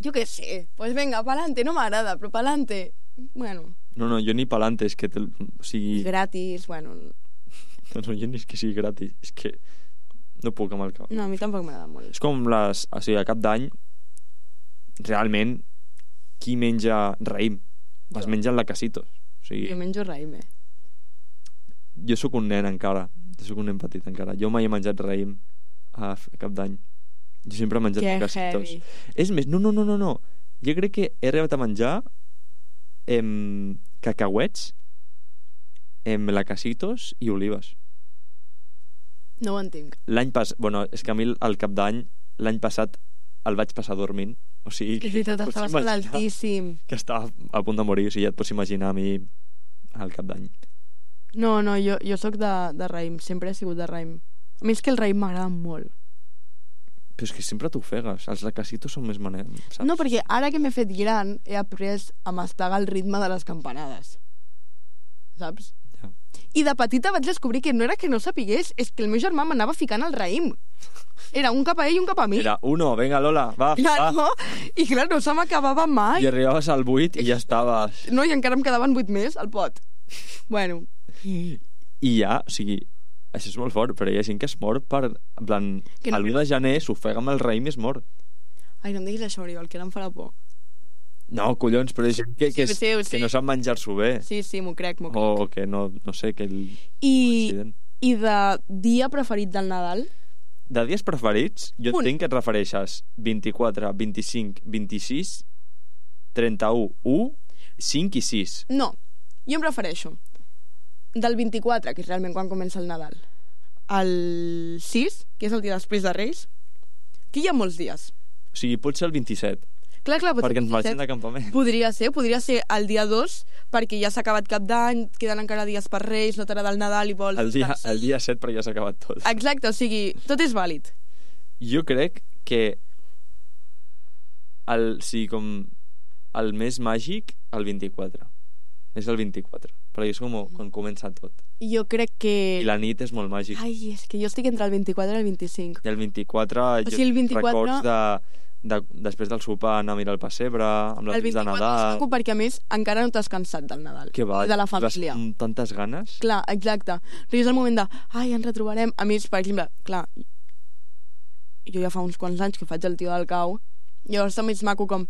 [SPEAKER 3] Jo què sé, pues venga, pa'lante, no m'agrada, però pa'lante... Bueno...
[SPEAKER 5] No, no, jo ni pa'lante, és que... Te, o sigui...
[SPEAKER 3] Gratis, bueno...
[SPEAKER 5] No, no, jo ni és que sigui gratis, és que no puc amb el cava.
[SPEAKER 3] No, a mi tampoc m'agrada molt.
[SPEAKER 5] És com les... O sigui, a cap d'any, realment, qui menja raïm? Es mengen la Casitos. O sigui,
[SPEAKER 3] Jo menjo raïm, eh?
[SPEAKER 5] jo sóc un nen encara, jo sóc un nen petit encara. Jo mai he menjat raïm a f- cap d'any. Jo sempre he menjat
[SPEAKER 3] Que
[SPEAKER 5] la Casitos.
[SPEAKER 3] heavy.
[SPEAKER 5] És més, no, no, no, no, no. Jo crec que he arribat a menjar em, cacauets, em, la Casitos i olives.
[SPEAKER 3] No ho entenc.
[SPEAKER 5] L'any pas... Bueno, és que a mi el cap d'any, l'any passat el vaig passar dormint. O sigui,
[SPEAKER 3] És veritat,
[SPEAKER 5] pots
[SPEAKER 3] estaves
[SPEAKER 5] imaginar
[SPEAKER 3] altíssim.
[SPEAKER 5] que estava a punt de morir. O sigui, ja et pots imaginar a mi al cap d'any.
[SPEAKER 3] No, no, jo, jo sóc de, de raïm, sempre he sigut de raïm. A mi és que el raïm m'agrada molt.
[SPEAKER 5] Però és que sempre t'ofegues. Els lacasitos són més manem, saps?
[SPEAKER 3] No, perquè ara que m'he fet gran he après a mastegar el ritme de les campanades. Saps?
[SPEAKER 5] Ja.
[SPEAKER 3] I de petita vaig descobrir que no era que no sapigués, és que el meu germà m'anava ficant al raïm. Era un cap a ell i un cap a mi.
[SPEAKER 5] Era uno, venga Lola, va,
[SPEAKER 3] Clar,
[SPEAKER 5] va.
[SPEAKER 3] no? I clar, no se m'acabava mai.
[SPEAKER 5] I arribaves al vuit i ja estaves...
[SPEAKER 3] No, i encara em quedaven vuit més al pot. Bueno,
[SPEAKER 5] I ja, o sigui, això és molt fort, però hi ha gent que es mor per... En plan,
[SPEAKER 3] Que no-
[SPEAKER 5] l'u de gener s'ofega amb el raïm i es mor.
[SPEAKER 3] ai, no em diguis això, Oriol, que ara em farà por.
[SPEAKER 5] No, collons, però hi ha gent que, que,
[SPEAKER 3] Sí,
[SPEAKER 5] és,
[SPEAKER 3] sí, ho
[SPEAKER 5] que
[SPEAKER 3] sé.
[SPEAKER 5] no sap menjar-s'ho bé.
[SPEAKER 3] Sí, sí, m'ho crec, m'ho crec.
[SPEAKER 5] O que no, no sé, que el...
[SPEAKER 3] I,
[SPEAKER 5] accident.
[SPEAKER 3] I de dia preferit del Nadal?
[SPEAKER 5] De dies preferits, jo
[SPEAKER 3] Un.
[SPEAKER 5] entenc que et refereixes vint-i-quatre, vint-i-cinc, vint-i-sis, trenta-u, u, cinc i sis.
[SPEAKER 3] No, jo em refereixo del vint-i-quatre, que és realment quan comença el Nadal, al sis, que és el dia després de Reis, que hi ha molts dies.
[SPEAKER 5] O sigui, pot ser el vint-i-set,
[SPEAKER 3] Clar, clar, pot ser
[SPEAKER 5] perquè ens
[SPEAKER 3] el
[SPEAKER 5] marxem
[SPEAKER 3] disset.
[SPEAKER 5] de campament.
[SPEAKER 3] Podria ser, podria ser el dia dos, perquè ja s'ha acabat cap d'any, queden encara dies per Reis, no t'agrada el Nadal i vols...
[SPEAKER 5] El dia,
[SPEAKER 3] descansar.
[SPEAKER 5] el dia set, però ja s'ha acabat tot.
[SPEAKER 3] Exacte, o sigui, tot és vàlid.
[SPEAKER 5] Jo crec que el, sí, com el més màgic, el vint-i-quatre. És el vint-i-quatre, perquè és com quan comença tot.
[SPEAKER 3] Jo crec que...
[SPEAKER 5] I la nit és molt màgic.
[SPEAKER 3] Ai, és que jo estic entre el vint-i-quatre i el vint-i-cinc.
[SPEAKER 5] I el vint-i-quatre,
[SPEAKER 3] O sigui, el vint-i-quatre-
[SPEAKER 5] records de, de, després del sopar anar a mirar el pessebre, amb les
[SPEAKER 3] El
[SPEAKER 5] nits de
[SPEAKER 3] vint-i-quatre és
[SPEAKER 5] Nadal...
[SPEAKER 3] maco perquè, a més, encara no t'has cansat del Nadal.
[SPEAKER 5] Que va,
[SPEAKER 3] I de la
[SPEAKER 5] vas
[SPEAKER 3] família.
[SPEAKER 5] amb tantes ganes.
[SPEAKER 3] Clar, exacte. Però és el moment de, ai, ens retrobarem. A més, per exemple, clar, jo ja fa uns quants anys que faig el tio del cau, llavors també és maco com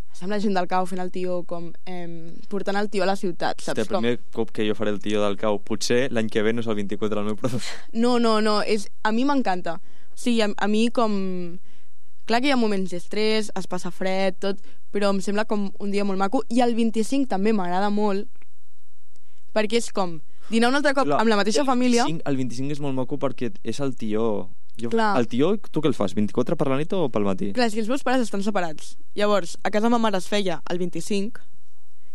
[SPEAKER 3] estar amb la gent del cau fent el tio com eh, portant el tio a la ciutat, saps
[SPEAKER 5] Hòstia, el
[SPEAKER 3] com?
[SPEAKER 5] primer cop que jo faré el tio del cau, potser l'any que ve no és el vint-i-quatre el meu professor.
[SPEAKER 3] No, no, no, és, a mi m'encanta. O sigui, a, a mi com... Clar que hi ha moments d'estrès, es passa fred, tot, però em sembla com un dia molt maco. I el vint-i-cinc també m'agrada molt, perquè és com dinar un altre cop
[SPEAKER 5] Clar,
[SPEAKER 3] amb la mateixa família.
[SPEAKER 5] El, el vint-i-cinc és molt maco perquè és el tio... Jo,
[SPEAKER 3] Clar.
[SPEAKER 5] el tio, tu què el fas? vint-i-quatre per la nit o pel matí?
[SPEAKER 3] Clar, és que els meus pares estan separats. Llavors, a casa ma mare es feia el vint-i-cinc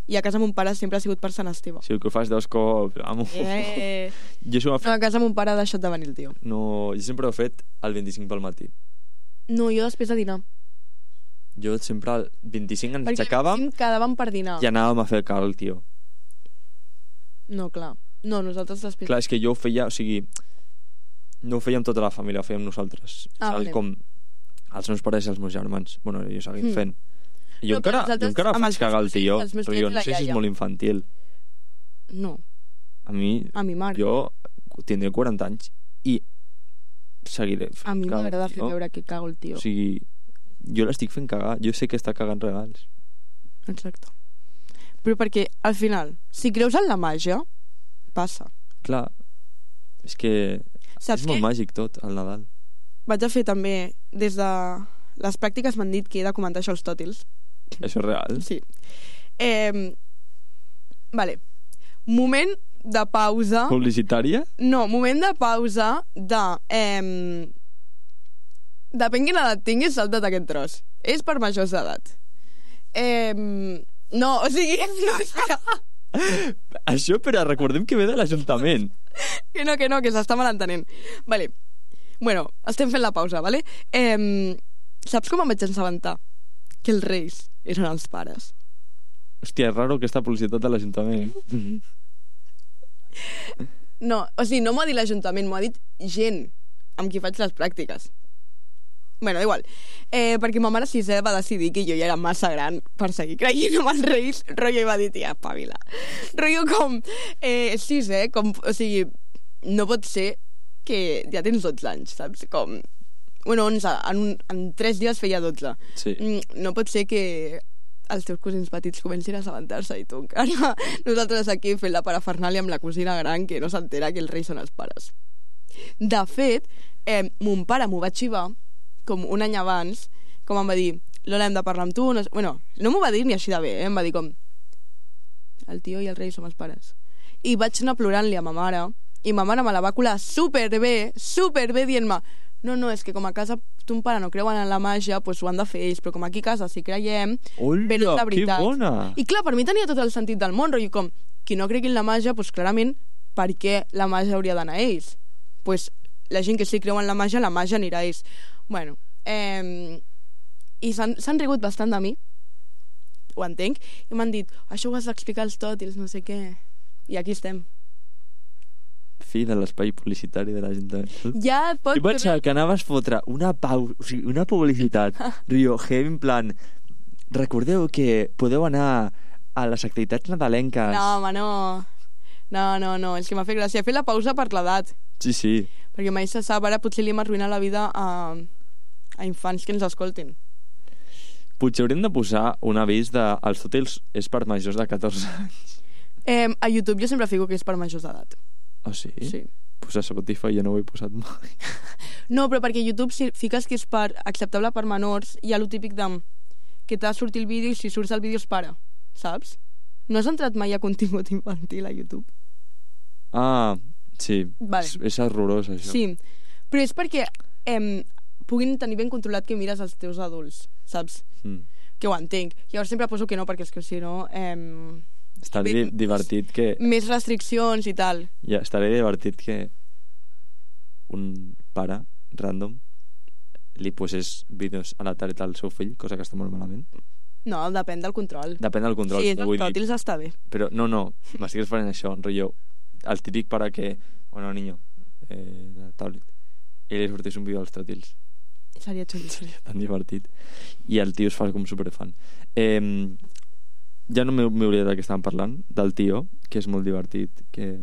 [SPEAKER 3] i a casa mon pare sempre ha sigut per Sant Esteve.
[SPEAKER 5] Si que ho fas dos cops, amo.
[SPEAKER 3] Eh...
[SPEAKER 5] Jo, això ho he
[SPEAKER 3] No,
[SPEAKER 5] fet,
[SPEAKER 3] a casa mon pare ha deixat de venir el tio.
[SPEAKER 5] no, jo sempre ho he fet el vint-i-cinc pel matí.
[SPEAKER 3] No, jo després de dinar.
[SPEAKER 5] Jo sempre el vint-i-cinc ens
[SPEAKER 3] Perquè
[SPEAKER 5] aixecàvem
[SPEAKER 3] el quedàvem per dinar.
[SPEAKER 5] i anàvem a fer el cal, tio.
[SPEAKER 3] No, clar. No, nosaltres després...
[SPEAKER 5] Clar, és que jo ho feia, o sigui, no ho fèiem tota la família, ho fèiem nosaltres.
[SPEAKER 3] Ah,
[SPEAKER 5] Saps?
[SPEAKER 3] vale.
[SPEAKER 5] Com els meus pares i els meus germans. Bueno, jo seguim
[SPEAKER 3] Mm.
[SPEAKER 5] fent. I jo
[SPEAKER 3] No, però
[SPEAKER 5] encara, jo
[SPEAKER 3] nosaltres
[SPEAKER 5] encara
[SPEAKER 3] amb
[SPEAKER 5] faig
[SPEAKER 3] els
[SPEAKER 5] cagar el
[SPEAKER 3] meus
[SPEAKER 5] tio,
[SPEAKER 3] fills, els meus
[SPEAKER 5] però
[SPEAKER 3] fills
[SPEAKER 5] jo
[SPEAKER 3] i
[SPEAKER 5] no
[SPEAKER 3] la
[SPEAKER 5] sé si és
[SPEAKER 3] iaia.
[SPEAKER 5] molt infantil.
[SPEAKER 3] No,
[SPEAKER 5] A mi,
[SPEAKER 3] a mi mare.
[SPEAKER 5] jo tindré quaranta anys i seguiré fent
[SPEAKER 3] A mi
[SPEAKER 5] cagar el
[SPEAKER 3] m'agrada fer
[SPEAKER 5] tio.
[SPEAKER 3] veure que cago el tio.
[SPEAKER 5] O sigui, jo l'estic fent cagar. Jo sé que està cagant regals.
[SPEAKER 3] Exacte. Però perquè, al final, si creus en la màgia, passa.
[SPEAKER 5] Clar, és que
[SPEAKER 3] Saps
[SPEAKER 5] és molt
[SPEAKER 3] què?
[SPEAKER 5] màgic tot, el Nadal.
[SPEAKER 3] Vaig a fer també, des de les pràctiques m'han dit que he de comentar això als tòtils.
[SPEAKER 5] Això és real.
[SPEAKER 3] Sí. Eh, vale. Moment de pausa.
[SPEAKER 5] Publicitària?
[SPEAKER 3] No, moment de pausa de... Eh, depèn quina edat tinguis, salta't aquest tros. És per majors d'edat. Eh, no, o sigui... No, espera.
[SPEAKER 5] Això, però recordem que ve de l'Ajuntament.
[SPEAKER 3] Que no, que no, que s'està malentenent. Vale. Bueno, estem fent la pausa, vale? Eh, saps com em vaig assabentar? Que els reis eren els pares.
[SPEAKER 5] Hòstia, és raro aquesta publicitat de l'Ajuntament.
[SPEAKER 3] No, o sigui, no m'ho ha dit l'Ajuntament, m'ho ha dit gent amb qui faig les pràctiques. Bueno, igual. Eh, perquè ma mare sisè va decidir que jo ja era massa gran per seguir creient amb els Reis, rotllo, i va dir, tia, espavila. Rotllo com, eh, sisè, com, o sigui, no pot ser que ja tens dotze anys, saps? Com, bueno, onze, en, un, en tres dies feia dotze.
[SPEAKER 5] Sí.
[SPEAKER 3] No pot ser que els teus cosins petits comencin a assabentar-se i tu encara nosaltres aquí fent la parafernàlia amb la cosina gran que no s'entera que els Reis són els pares. De fet, eh, mon pare m'ho va xivar com un any abans, com em va dir, Lola, hem de parlar amb tu, no, bueno, no m'ho va dir ni així de bé, eh? Em va dir com, el tio i el rei som els pares. I vaig anar plorant-li a ma mare, i ma mare me la va colar superbé, superbé, dient-me, no, no, és que com a casa ton pare no creuen en la màgia, doncs ho han de fer ells, però com aquí a casa si creiem, venen de veritat.
[SPEAKER 5] Que bona!
[SPEAKER 3] I clar, per mi tenia tot el sentit del món, i com, qui no cregui en la màgia, doncs clarament, per què la màgia hauria d'anar a ells? Doncs la gent que sí creu en la màgia, la màgia anirà a ells. Bueno, eh, i s'han rigut bastant de mi, ho entenc, i m'han dit, això ho has d'explicar als tòtils, no sé què, i aquí estem.
[SPEAKER 5] Fi de l'espai publicitari de l'Ajuntament.
[SPEAKER 3] Ja et pots...
[SPEAKER 5] Jo pensava que anaves a fotre una pau, o sigui, una publicitat, Rio, heavy, en plan, recordeu que podeu anar a les activitats nadalenques.
[SPEAKER 3] No, home, no. No, no, no, és que m'ha fet gràcia. He fet la pausa per l'edat.
[SPEAKER 5] Sí, sí.
[SPEAKER 3] Perquè mai se sap, ara potser li hem arruïnat la vida a, a infants que ens escoltin.
[SPEAKER 5] Potser hauríem de posar un avís de els tòtils és per majors de catorze anys.
[SPEAKER 3] Eh, a YouTube jo sempre fico que és per majors d'edat.
[SPEAKER 5] Ah, sí?
[SPEAKER 3] Sí.
[SPEAKER 5] Pues a Spotify ja no ho he posat mai.
[SPEAKER 3] No, però perquè a YouTube si fiques que és per acceptable per menors, hi ha lo típic de que t'ha sortit el vídeo i si surts el vídeo es para, saps? No has entrat mai a contingut infantil a YouTube?
[SPEAKER 5] Ah, sí.
[SPEAKER 3] Vale.
[SPEAKER 5] És, és horrorós, això.
[SPEAKER 3] Sí, però és perquè eh, puguin tenir ben controlat que mires els teus adults, saps? Mm. Que ho entenc. Llavors sempre poso que no, perquè és que si no... Eh,
[SPEAKER 5] estaré ben, divertit que...
[SPEAKER 3] Més restriccions i tal.
[SPEAKER 5] Ja, estaré divertit que un pare random li posés vídeos a la tarda al seu fill, cosa que està molt malament.
[SPEAKER 3] No, depèn del control.
[SPEAKER 5] Depèn del control.
[SPEAKER 3] Sí, els tòtils està bé.
[SPEAKER 5] Però no, no, m'estic referint a això, rotllo, el típic pare que, bueno, niño, eh, la tablet, i li sortís un vídeo als tòtils.
[SPEAKER 3] Seria xulo.
[SPEAKER 5] Seria tan divertit. I el tio es fa com superfan. Eh, ja no m'he oblidat de què estàvem parlant, del tio, que és molt divertit, que...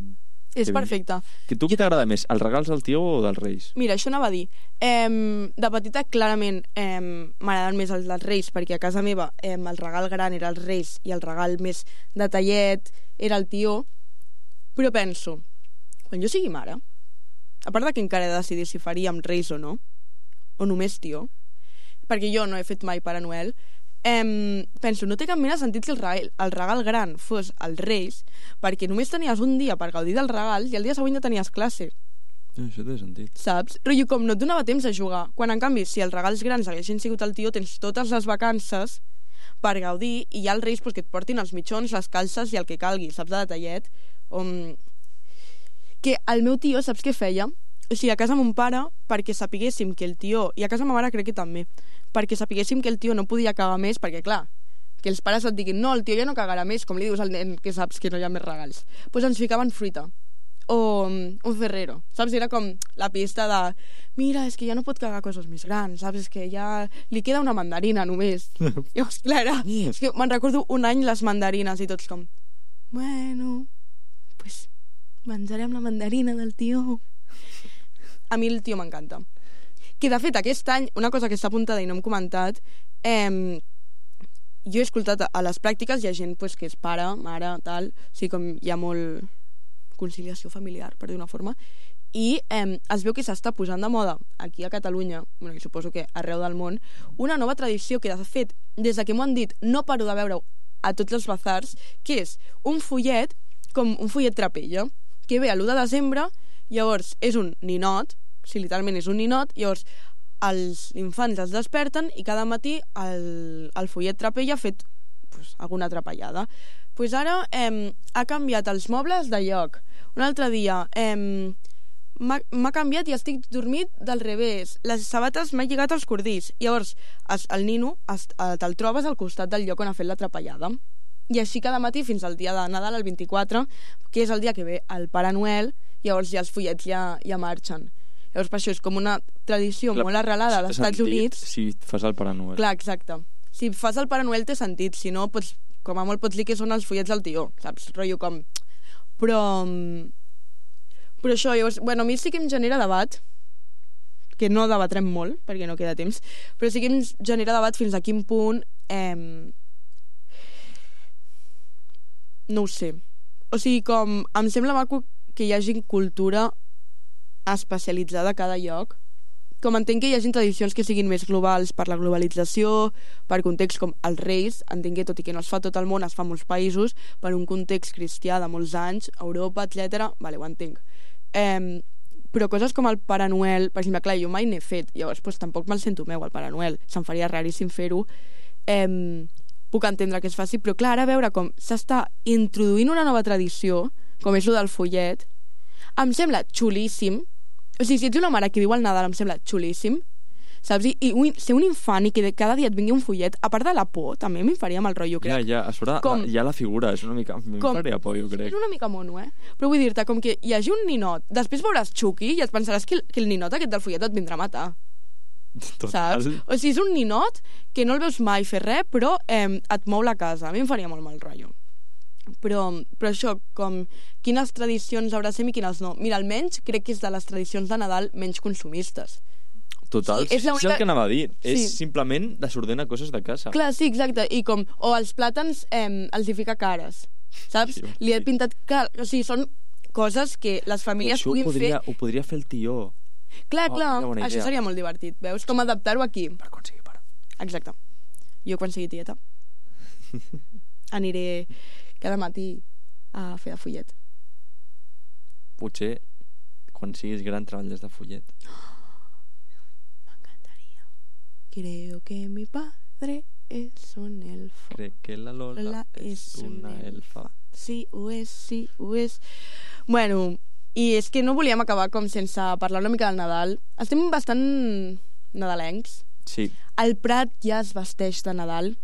[SPEAKER 3] És que perfecte.
[SPEAKER 5] Que tu què t'agrada més, els regals del tio o dels Reis?
[SPEAKER 3] Mira, això anava a dir. Eh, de petita, clarament, eh, m'agraden més els dels Reis, perquè a casa meva eh, el regal gran era els Reis i el regal més detallet era el tio. Però penso, quan jo sigui mare, a part de que encara he de decidir si faríem Reis o no, o només tio, perquè jo no he fet mai Pare Noel, Eh, penso, no té cap mena de sentit que el regal, el regal gran fos als Reis, perquè només tenies un dia per gaudir del regal i el dia següent ja tenies classe.
[SPEAKER 5] No, això té sentit.
[SPEAKER 3] Saps? Rotllo, com no et donava temps a jugar. Quan, en canvi, si els regals grans haguessin sigut el tio, tens totes les vacances per gaudir i hi ha els Reis pues, que et portin els mitjons, les calces i el que calgui, saps, de detallet. Um, que el meu tio, saps què feia? O sigui, a casa mon pare, perquè sapiguéssim que el tio... I a casa ma mare crec que també. Perquè sapiguéssim que el tio no podia cagar més, perquè, clar, que els pares et diguin no, el tio ja no cagarà més, com li dius al nen que saps que no hi ha més regals. Doncs pues ens ficaven fruita. O um, un ferrero. Saps? Era com la pista de mira, és que ja no pot cagar coses més grans, saps? És que ja li queda una mandarina només. Llavors, clar, era... És que me'n recordo un any les mandarines i tots com bueno, pues menjarem la mandarina del tio. A mi el tio m'encanta. Que, de fet, aquest any, una cosa que està apuntada i no hem comentat, eh, jo he escoltat a les pràctiques, hi ha gent pues, que és pare, mare, tal, o sigui, com hi ha molt conciliació familiar, per dir una forma, i eh, es veu que s'està posant de moda aquí a Catalunya, bueno, i suposo que arreu del món, una nova tradició que, de fet, des de que m'ho han dit, no paro de veure a tots els bazars, que és un follet, com un follet trapella, que ve a l'u de desembre, llavors és un ninot, si literalment és un ninot, llavors els infants es desperten i cada matí el, el follet trapella ha fet pues, alguna atrapallada. Pues ara eh, ha canviat els mobles de lloc. Un altre dia eh, m'ha canviat i estic dormit del revés. Les sabates m'ha lligat als cordills. Llavors es, el nino es, te'l trobes al costat del lloc on ha fet l'atrapallada. I així cada matí fins al dia de Nadal, el vint-i-quatre, que és el dia que ve el Pare Noel, llavors ja els fullets ja, ja marxen. Llavors per això és com una tradició
[SPEAKER 5] Clar,
[SPEAKER 3] molt arrelada
[SPEAKER 5] té
[SPEAKER 3] als Estats
[SPEAKER 5] sentit
[SPEAKER 3] Units.
[SPEAKER 5] Si fas el Pare Noel.
[SPEAKER 3] Clar, exacte. Si fas el Pare Noel té sentit, si no, pots, com a molt pots dir que són els fullets del tió, saps? Rotllo com... Però... Però això, llavors, bueno, a mi sí que em genera debat, que no debatrem molt, perquè no queda temps, però sí que em genera debat fins a quin punt... Eh... No ho sé. O sigui, com... Em sembla maco que hi hagi cultura especialitzada a cada lloc. Com entenc que hi hagi tradicions que siguin més globals per la globalització, per context com els Reis, entenc que tot i que no es fa tot el món, es fa a molts països, per un context cristià de molts anys, Europa, etcètera. Vale, ho entenc. Eh, però coses com el Pare Noel, per exemple, clar, jo mai n'he fet, llavors pues, tampoc me'l sento meu, el Pare Noel. Se'm faria raríssim fer-ho. Eh, puc entendre que es faci, però clar, ara veure com s'està introduint una nova tradició, com és el del follet, em sembla xulíssim. O sigui, si ets una mare que viu al Nadal, em sembla xulíssim, saps? I, i un, ser un infant i que de cada dia et vingui un follet, a part de la por, també m'hi faria mal rotllo, crec.
[SPEAKER 5] Ja, ja, a sobre
[SPEAKER 3] com,
[SPEAKER 5] ja la figura és una mica... M'hi faria por, jo crec.
[SPEAKER 3] És una mica mono, eh? Però vull dir-te, com que hi hagi un ninot, després veuràs Chucky i et pensaràs que el, que el ninot aquest del follet et vindrà a matar.
[SPEAKER 5] Total.
[SPEAKER 3] Saps? O sigui, és un ninot que no el veus mai fer res, però eh, et mou la casa. A mi em faria molt mal rotllo. Però, però això, com quines tradicions abracem i quines no. Mira, almenys crec que és de les tradicions de Nadal menys consumistes.
[SPEAKER 5] Total,
[SPEAKER 3] Sí, és
[SPEAKER 5] és,
[SPEAKER 3] l'única-
[SPEAKER 5] és el que anava a dir.
[SPEAKER 3] Sí.
[SPEAKER 5] És simplement desordenar coses de casa.
[SPEAKER 3] Clar, sí, exacte. I com, o els plàtans eh, els hi fica cares, saps?
[SPEAKER 5] Sí,
[SPEAKER 3] Li he
[SPEAKER 5] sí.
[SPEAKER 3] pintat car... O sigui, són coses que les famílies
[SPEAKER 5] Això ho
[SPEAKER 3] puguin
[SPEAKER 5] podria,
[SPEAKER 3] fer.
[SPEAKER 5] ho podria fer el tió.
[SPEAKER 3] Clar,
[SPEAKER 5] Oh,
[SPEAKER 3] clar,
[SPEAKER 5] quina bona
[SPEAKER 3] això
[SPEAKER 5] idea.
[SPEAKER 3] seria molt divertit. Veus com adaptar-ho aquí?
[SPEAKER 5] Per quan sigui pare.
[SPEAKER 3] Exacte. Jo quan sigui tieta aniré cada matí a fer de follet.
[SPEAKER 5] Potser quan siguis gran treballes de follet.
[SPEAKER 3] M'encantaria. Creo que mi padre es un elfo.
[SPEAKER 5] Crec que la Lola
[SPEAKER 3] Lola
[SPEAKER 5] és
[SPEAKER 3] és
[SPEAKER 5] una
[SPEAKER 3] un
[SPEAKER 5] elfa.
[SPEAKER 3] Sí, ho és, sí, ho és. Bueno, i és que no volíem acabar com sense parlar una mica del Nadal. Estem bastant nadalencs.
[SPEAKER 5] Sí,
[SPEAKER 3] El Prat ja es vesteix de Nadal.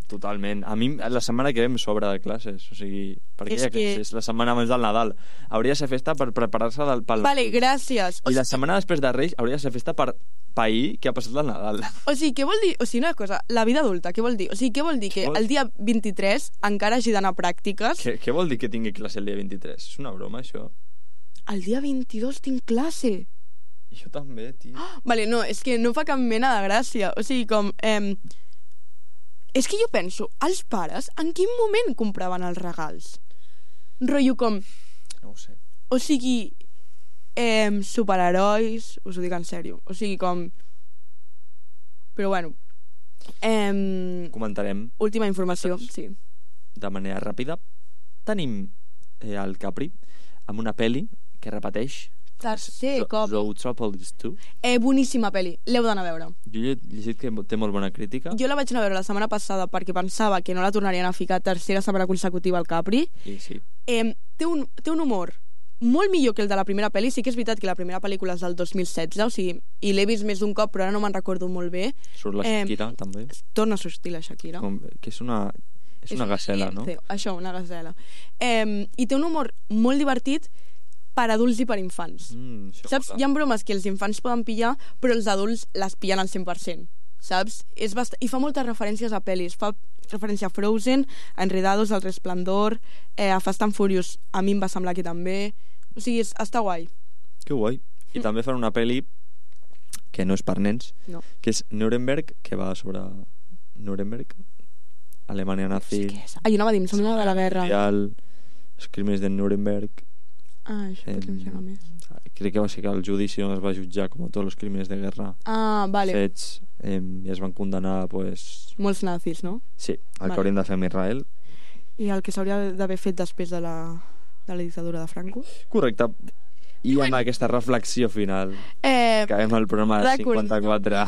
[SPEAKER 5] totalment. A mi la setmana que ve em sobra de classes, o sigui, perquè
[SPEAKER 3] És
[SPEAKER 5] hi ha
[SPEAKER 3] que-
[SPEAKER 5] classes la setmana abans del Nadal. Hauria de ser festa per preparar-se del pel...
[SPEAKER 3] Vale, gràcies. O
[SPEAKER 5] I la
[SPEAKER 3] sigui,
[SPEAKER 5] setmana després de Reis hauria de ser festa per pair que ha passat el Nadal.
[SPEAKER 3] o sigui, què vol dir? O sigui, una cosa, la vida adulta, què vol dir? O sigui, què vol dir? Que
[SPEAKER 5] vol-
[SPEAKER 3] el dia vint-i-tres encara hagi d'anar a pràctiques.
[SPEAKER 5] Què, què vol dir que tingui classe el dia vint-i-tres? És una broma, això.
[SPEAKER 3] El dia vint-i-dos tinc classe.
[SPEAKER 5] Jo també, tio.
[SPEAKER 3] Vale, no, és que no fa cap mena de gràcia. O sigui, com... Eh, és que jo penso, els pares, en quin moment compraven els regals? Rotllo com...
[SPEAKER 5] No ho sé.
[SPEAKER 3] O sigui, eh, superherois, us ho dic en sèrio. O sigui, com... Però bueno... Eh,
[SPEAKER 5] Comentarem
[SPEAKER 3] última informació, sí.
[SPEAKER 5] de manera ràpida. Tenim eh, el Capri amb una peli que repeteix
[SPEAKER 3] Tercer
[SPEAKER 5] Ro-
[SPEAKER 3] cop.
[SPEAKER 5] Zootropolis dos.
[SPEAKER 3] Eh, boníssima pel·li, l'heu d'anar a veure.
[SPEAKER 5] Jo he llegit que té molt bona crítica.
[SPEAKER 3] Jo la vaig anar a veure la setmana passada perquè pensava que no la tornarien a ficar tercera setmana consecutiva al Capri.
[SPEAKER 5] I sí.
[SPEAKER 3] Eh, té, un, té un humor molt millor que el de la primera pel·li. Sí que és veritat que la primera pel·lícula és del dos mil setze, o sigui, i l'he vist més d'un cop, però ara no me'n recordo molt bé.
[SPEAKER 5] Surt la
[SPEAKER 3] Eh,
[SPEAKER 5] Shakira, també.
[SPEAKER 3] Torna a sortir la Shakira.
[SPEAKER 5] Com, que és una, és una gacela, no?
[SPEAKER 3] lince, Això, una gacela. Eh, I té un humor molt divertit per adults i per infants.
[SPEAKER 5] Mm, això
[SPEAKER 3] Saps?
[SPEAKER 5] mola.
[SPEAKER 3] Hi ha bromes que els infants poden pillar, però els adults les pillen al cent per cent. Saps? És bast... I fa moltes referències a pel·lis. Fa referència a Frozen, a Enredados, al Resplendor, eh, a Fast and Furious. A mi em va semblar que també. O sigui, és, està guai.
[SPEAKER 5] Que guai. I també fan una peli que no és per nens,
[SPEAKER 3] No.
[SPEAKER 5] que és Nuremberg, que va sobre Nuremberg, Alemanya nazi,
[SPEAKER 3] Sí que és. Ai, anava a dir, em sembla de la guerra.
[SPEAKER 5] mundial, els crims de Nuremberg.
[SPEAKER 3] Ah, això potser em sembla més.
[SPEAKER 5] Crec que va ser que el judici on es va jutjar com a tots els crims de guerra
[SPEAKER 3] Ah, vale.
[SPEAKER 5] fets eh, i es van condenar, pues,
[SPEAKER 3] Molts nazis, no?
[SPEAKER 5] sí, el
[SPEAKER 3] Vale.
[SPEAKER 5] que hauríem de fer amb Israel.
[SPEAKER 3] I el que s'hauria d'haver fet després de la, de la dictadura de Franco.
[SPEAKER 5] Correcte. I amb aquesta reflexió final
[SPEAKER 3] Eh,
[SPEAKER 5] acabem el programa
[SPEAKER 3] Recordeu-
[SPEAKER 5] cinquanta-quatre.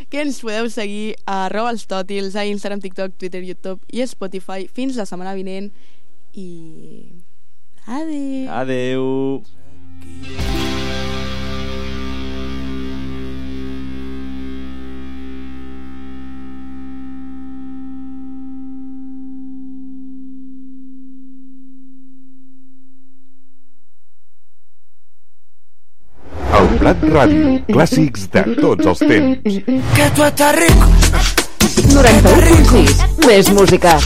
[SPEAKER 3] que ens podeu seguir a arroba els tòtils, a Instagram, TikTok, Twitter, YouTube i Spotify fins la setmana vinent i... Adéu!
[SPEAKER 5] Adeu.
[SPEAKER 6] El Prat Ràdio, clàssics de tots els temps.
[SPEAKER 7] Que tu estàs rico.
[SPEAKER 8] noranta-u punt sis, més música.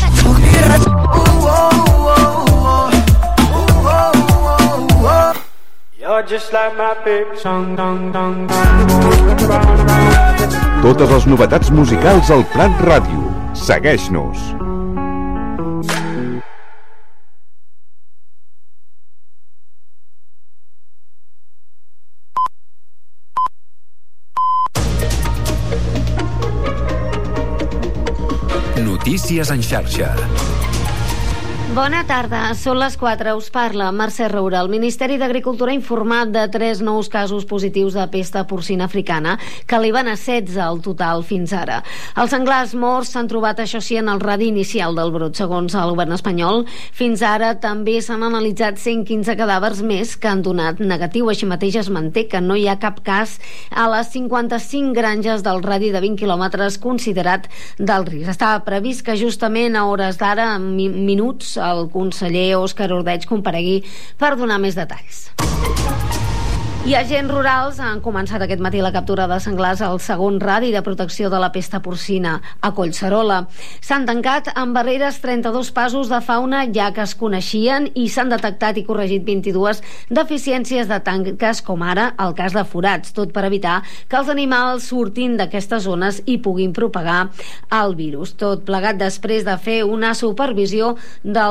[SPEAKER 6] Totes les novetats musicals al Prat Ràdio. Segueix-nos.
[SPEAKER 9] Notícies en xarxa.
[SPEAKER 10] Bona tarda, són les quatre, us parla Mercè Roura. El Ministeri d'Agricultura ha informat de tres nous casos positius de pesta porcina africana, que arriben a setze al total fins ara. Els senglars morts s'han trobat, això sí, en el radi inicial del brot, segons el govern espanyol. Fins ara també s'han analitzat cent quinze cadàvers més que han donat negatiu. Així mateix es manté que no hi ha cap cas a les cinquanta-cinc granges del radi de vint quilòmetres considerat d'alt risc. Estava previst que justament a hores d'ara, en mi- minuts, el conseller Òscar Ordeig comparegui per donar més detalls. I agents rurals han començat aquest matí la captura de senglars al segon radi de protecció de la pesta porcina a Collserola. S'han tancat amb barreres trenta-dos passos de fauna ja que es coneixien i s'han detectat i corregit vint-i-dues deficiències de tanques, com ara el cas de forats, tot per evitar que els animals surtin d'aquestes zones i puguin propagar el virus. Tot plegat després de fer una supervisió del